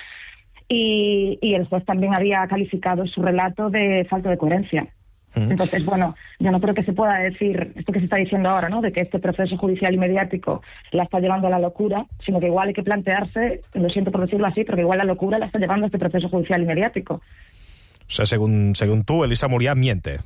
S27: Y, y el juez también había calificado su relato de falta de coherencia. Entonces, bueno, yo no creo que se pueda decir esto que se está diciendo ahora, ¿no?, de que este proceso judicial y mediático la está llevando a la locura, sino que igual hay que plantearse, lo siento por decirlo así, pero que igual la locura la está llevando a este proceso judicial y mediático.
S2: O sea, según, según tú, Elisa Molià miente.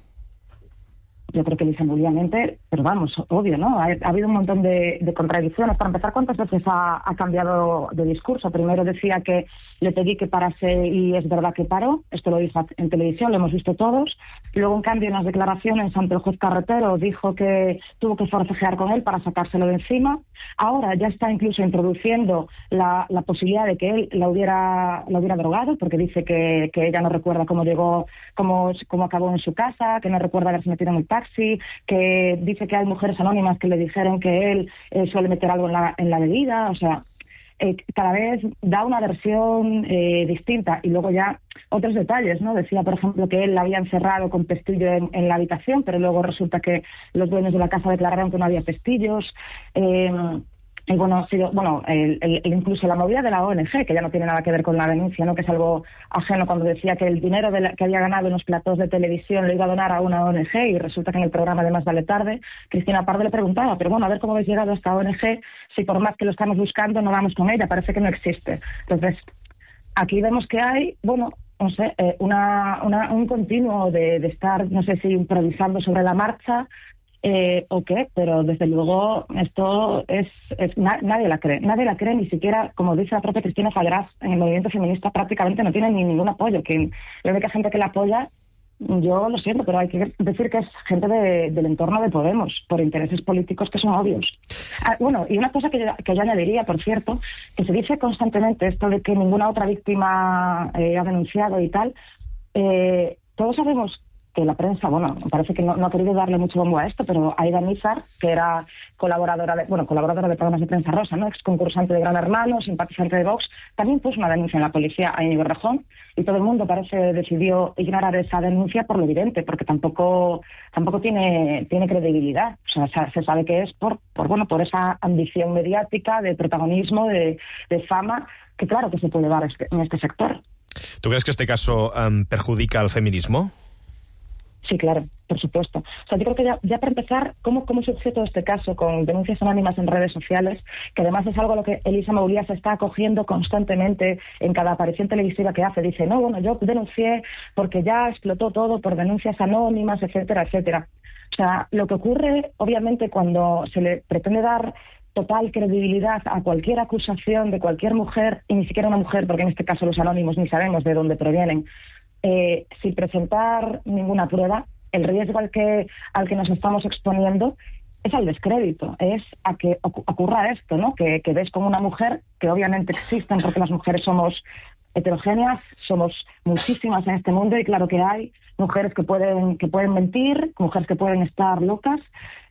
S27: yo creo que Elisa Mouliá mente, pero vamos, obvio, ¿no? Ha, ha habido un montón de, de contradicciones. Para empezar, ¿cuántas veces ha, ha cambiado de discurso? Primero decía que le pedí que parase y es verdad que paró. Esto lo dijo en televisión, lo hemos visto todos. Luego, en cambio, en las declaraciones ante el juez Carretero dijo que tuvo que forcejear con él para sacárselo de encima. Ahora ya está incluso introduciendo la, la posibilidad de que él la hubiera, la hubiera drogado, porque dice que, que ella no recuerda cómo llegó, cómo, cómo acabó en su casa, que no recuerda haberse metido en el taxi, que dice que hay mujeres anónimas que le dijeron que él eh, suele meter algo en la, en la bebida. O sea, eh, cada vez da una versión eh, distinta. Y luego ya otros detalles, ¿no? Decía, por ejemplo, que él la había encerrado con pestillo en, en la habitación, pero luego resulta que los dueños de la casa declararon que no había pestillos. Eh, Y bueno, sí, bueno el, el, incluso la movida de la O N G, que ya no tiene nada que ver con la denuncia, ¿no? Que es algo ajeno, cuando decía que el dinero de la, que había ganado en los platós de televisión lo iba a donar a una O N G, y resulta que en el programa de Más Vale Tarde, Cristina Pardo le preguntaba, pero bueno, a ver cómo habéis llegado a esta O N G, si por más que lo estamos buscando no vamos con ella, parece que no existe. Entonces, aquí vemos que hay, bueno, no sé, eh, una, una, un continuo de, de estar, no sé si improvisando sobre la marcha, Eh, o qué, pero desde luego esto es, es na, nadie la cree, nadie la cree, ni siquiera, como dice la propia Cristina Fallarás, en el movimiento feminista prácticamente no tiene ni ningún apoyo. Que la única gente que la apoya, yo lo siento, pero hay que decir que es gente de, del entorno de Podemos, por intereses políticos que son obvios. Ah, bueno, y una cosa que yo, que yo añadiría, por cierto, que se dice constantemente esto de que ninguna otra víctima eh, ha denunciado y tal. Eh, todos sabemos que la prensa, bueno, parece que no, no ha querido darle mucho bombo a esto, pero Aida Nízar, que era colaboradora de, bueno, colaboradora de programas de prensa rosa, ¿no? Ex concursante de Gran Hermano, simpatizante de Vox, también puso una denuncia en la policía a Íñigo Errejón, y todo el mundo parece decidió ignorar esa denuncia por lo evidente, porque tampoco tampoco tiene tiene credibilidad. O sea, se sabe que es por, por bueno, por esa ambición mediática, de protagonismo, de, de fama, que claro que se puede dar este, en este sector.
S2: ¿Tú crees que este caso um, perjudica al feminismo?
S27: Sí, claro, por supuesto. O sea, yo creo que ya, ya para empezar, ¿cómo, cómo surgió todo este caso con denuncias anónimas en redes sociales? Que además es algo a lo que Elisa Mouliá se está acogiendo constantemente en cada aparición televisiva que hace. Dice, no, bueno, yo denuncié porque ya explotó todo por denuncias anónimas, etcétera, etcétera. O sea, lo que ocurre, obviamente, cuando se le pretende dar total credibilidad a cualquier acusación de cualquier mujer, y ni siquiera una mujer, porque en este caso los anónimos ni sabemos de dónde provienen, Eh, sin presentar ninguna prueba, el riesgo al que, al que nos estamos exponiendo es al descrédito, es a que ocurra esto, ¿no? Que, que ves como una mujer, que obviamente existen porque las mujeres somos heterogéneas, somos muchísimas en este mundo, y claro que hay mujeres que pueden que pueden mentir, mujeres que pueden estar locas,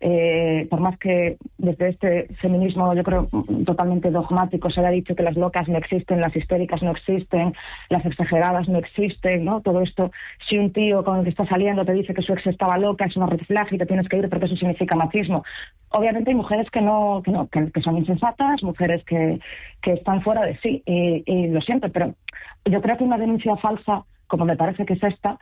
S27: eh, por más que desde este feminismo, yo creo, totalmente dogmático, se ha dicho que las locas no existen, las histéricas no existen, las exageradas no existen, ¿no? Todo esto, si un tío con el que está saliendo te dice que su ex estaba loca, es una red flag y te tienes que ir porque eso significa machismo. Obviamente hay mujeres que no que no que, que son insensatas, mujeres que, que están fuera de sí, y, y lo siento, pero yo creo que una denuncia falsa, como me parece que es esta,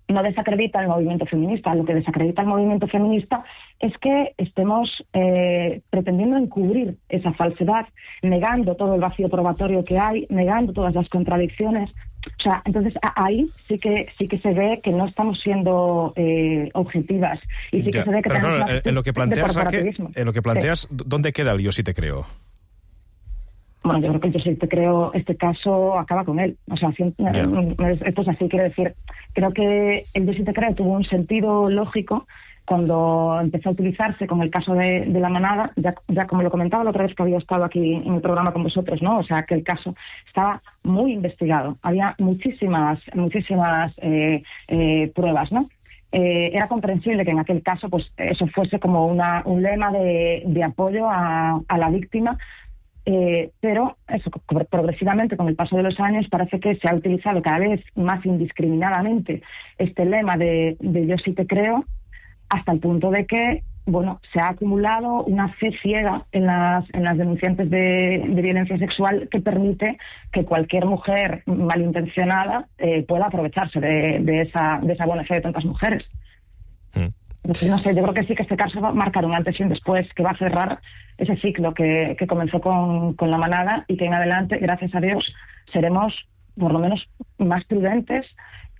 S27: no desacredita el movimiento feminista. Lo que desacredita el movimiento feminista es que estemos eh, pretendiendo encubrir esa falsedad, negando todo el vacío probatorio que hay, negando todas las contradicciones. O sea, entonces ahí sí que sí que se ve que no estamos siendo eh, objetivas, y sí
S2: ya,
S27: que se ve que
S2: pero
S27: tenemos
S2: claro,
S27: una
S2: en lo que planteas, Raquel, en lo que planteas,
S27: sí.
S2: ¿Dónde queda el yo sí te creo?
S27: Bueno, yo creo que yo sí te creo, este caso acaba con él. O sea, si, yeah. esto es así, quiero decir, creo que el yo sí te creo tuvo un sentido lógico cuando empezó a utilizarse con el caso de, de la manada, ya, ya como lo comentaba la otra vez que había estado aquí en el programa con vosotros, ¿no? O sea, que el caso estaba muy investigado, había muchísimas, muchísimas eh, eh, pruebas, ¿no? Eh, era comprensible que en aquel caso, pues, eso fuese como una, un lema de, de apoyo a, a la víctima. Eh, pero eso, progresivamente, con el paso de los años, parece que se ha utilizado cada vez más indiscriminadamente este lema de, de yo sí te creo, hasta el punto de que, bueno, se ha acumulado una fe ciega en las, en las denunciantes de, de violencia sexual, que permite que cualquier mujer malintencionada eh, pueda aprovecharse de, de, esa, de esa buena fe de tantas mujeres. Mm. No sé, yo creo que sí que este caso va a marcar un antes y un después, que va a cerrar ese ciclo que, que comenzó con, con la manada, y que en adelante, gracias a Dios, seremos por lo menos más prudentes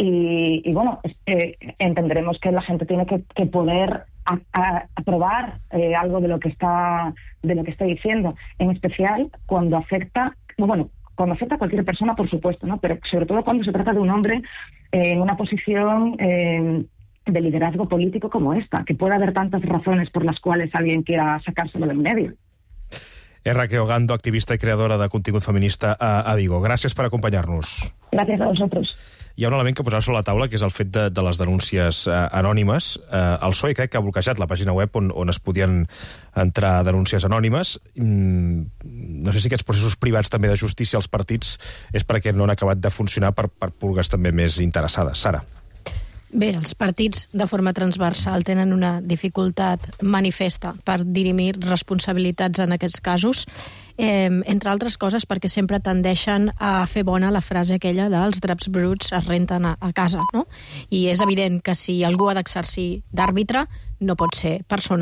S27: y, y bueno, eh, entenderemos que la gente tiene que, que poder a, a, aprobar eh, algo de lo que está de lo que está diciendo, en especial cuando afecta, bueno, cuando afecta a cualquier persona, por supuesto, ¿no? Pero sobre todo cuando se trata de un hombre eh, en una posición eh, de liderazgo político como esta, que puede haber tantas razones por las cuales alguien quiera sacárselo del medio.
S2: És Raquel Gando, activista i creadora de contingut feminista a, a Vigo. Gràcies per acompanyar-nos.
S27: Gràcies a vosaltres.
S2: Hi ha un element que posar sobre la taula, que és el fet de, de les denúncies eh, anònimes. Eh, el P S O E crec que ha bloquejat la pàgina web on, on es podien entrar denúncies anònimes. Mm, no sé si aquests processos privats també de justícia als partits és perquè no han acabat de funcionar per, per purgues també més interessades. Sara.
S12: Bé, els partits de forma transversal tenen una dificultat manifesta per dirimir responsabilitats en aquests casos, eh, entre altres coses perquè sempre tendeixen a fer bona la frase aquella dels draps bruts es renten a, a casa, no? I és evident que si algú ha d'exercir d'àrbitre no pot ser persones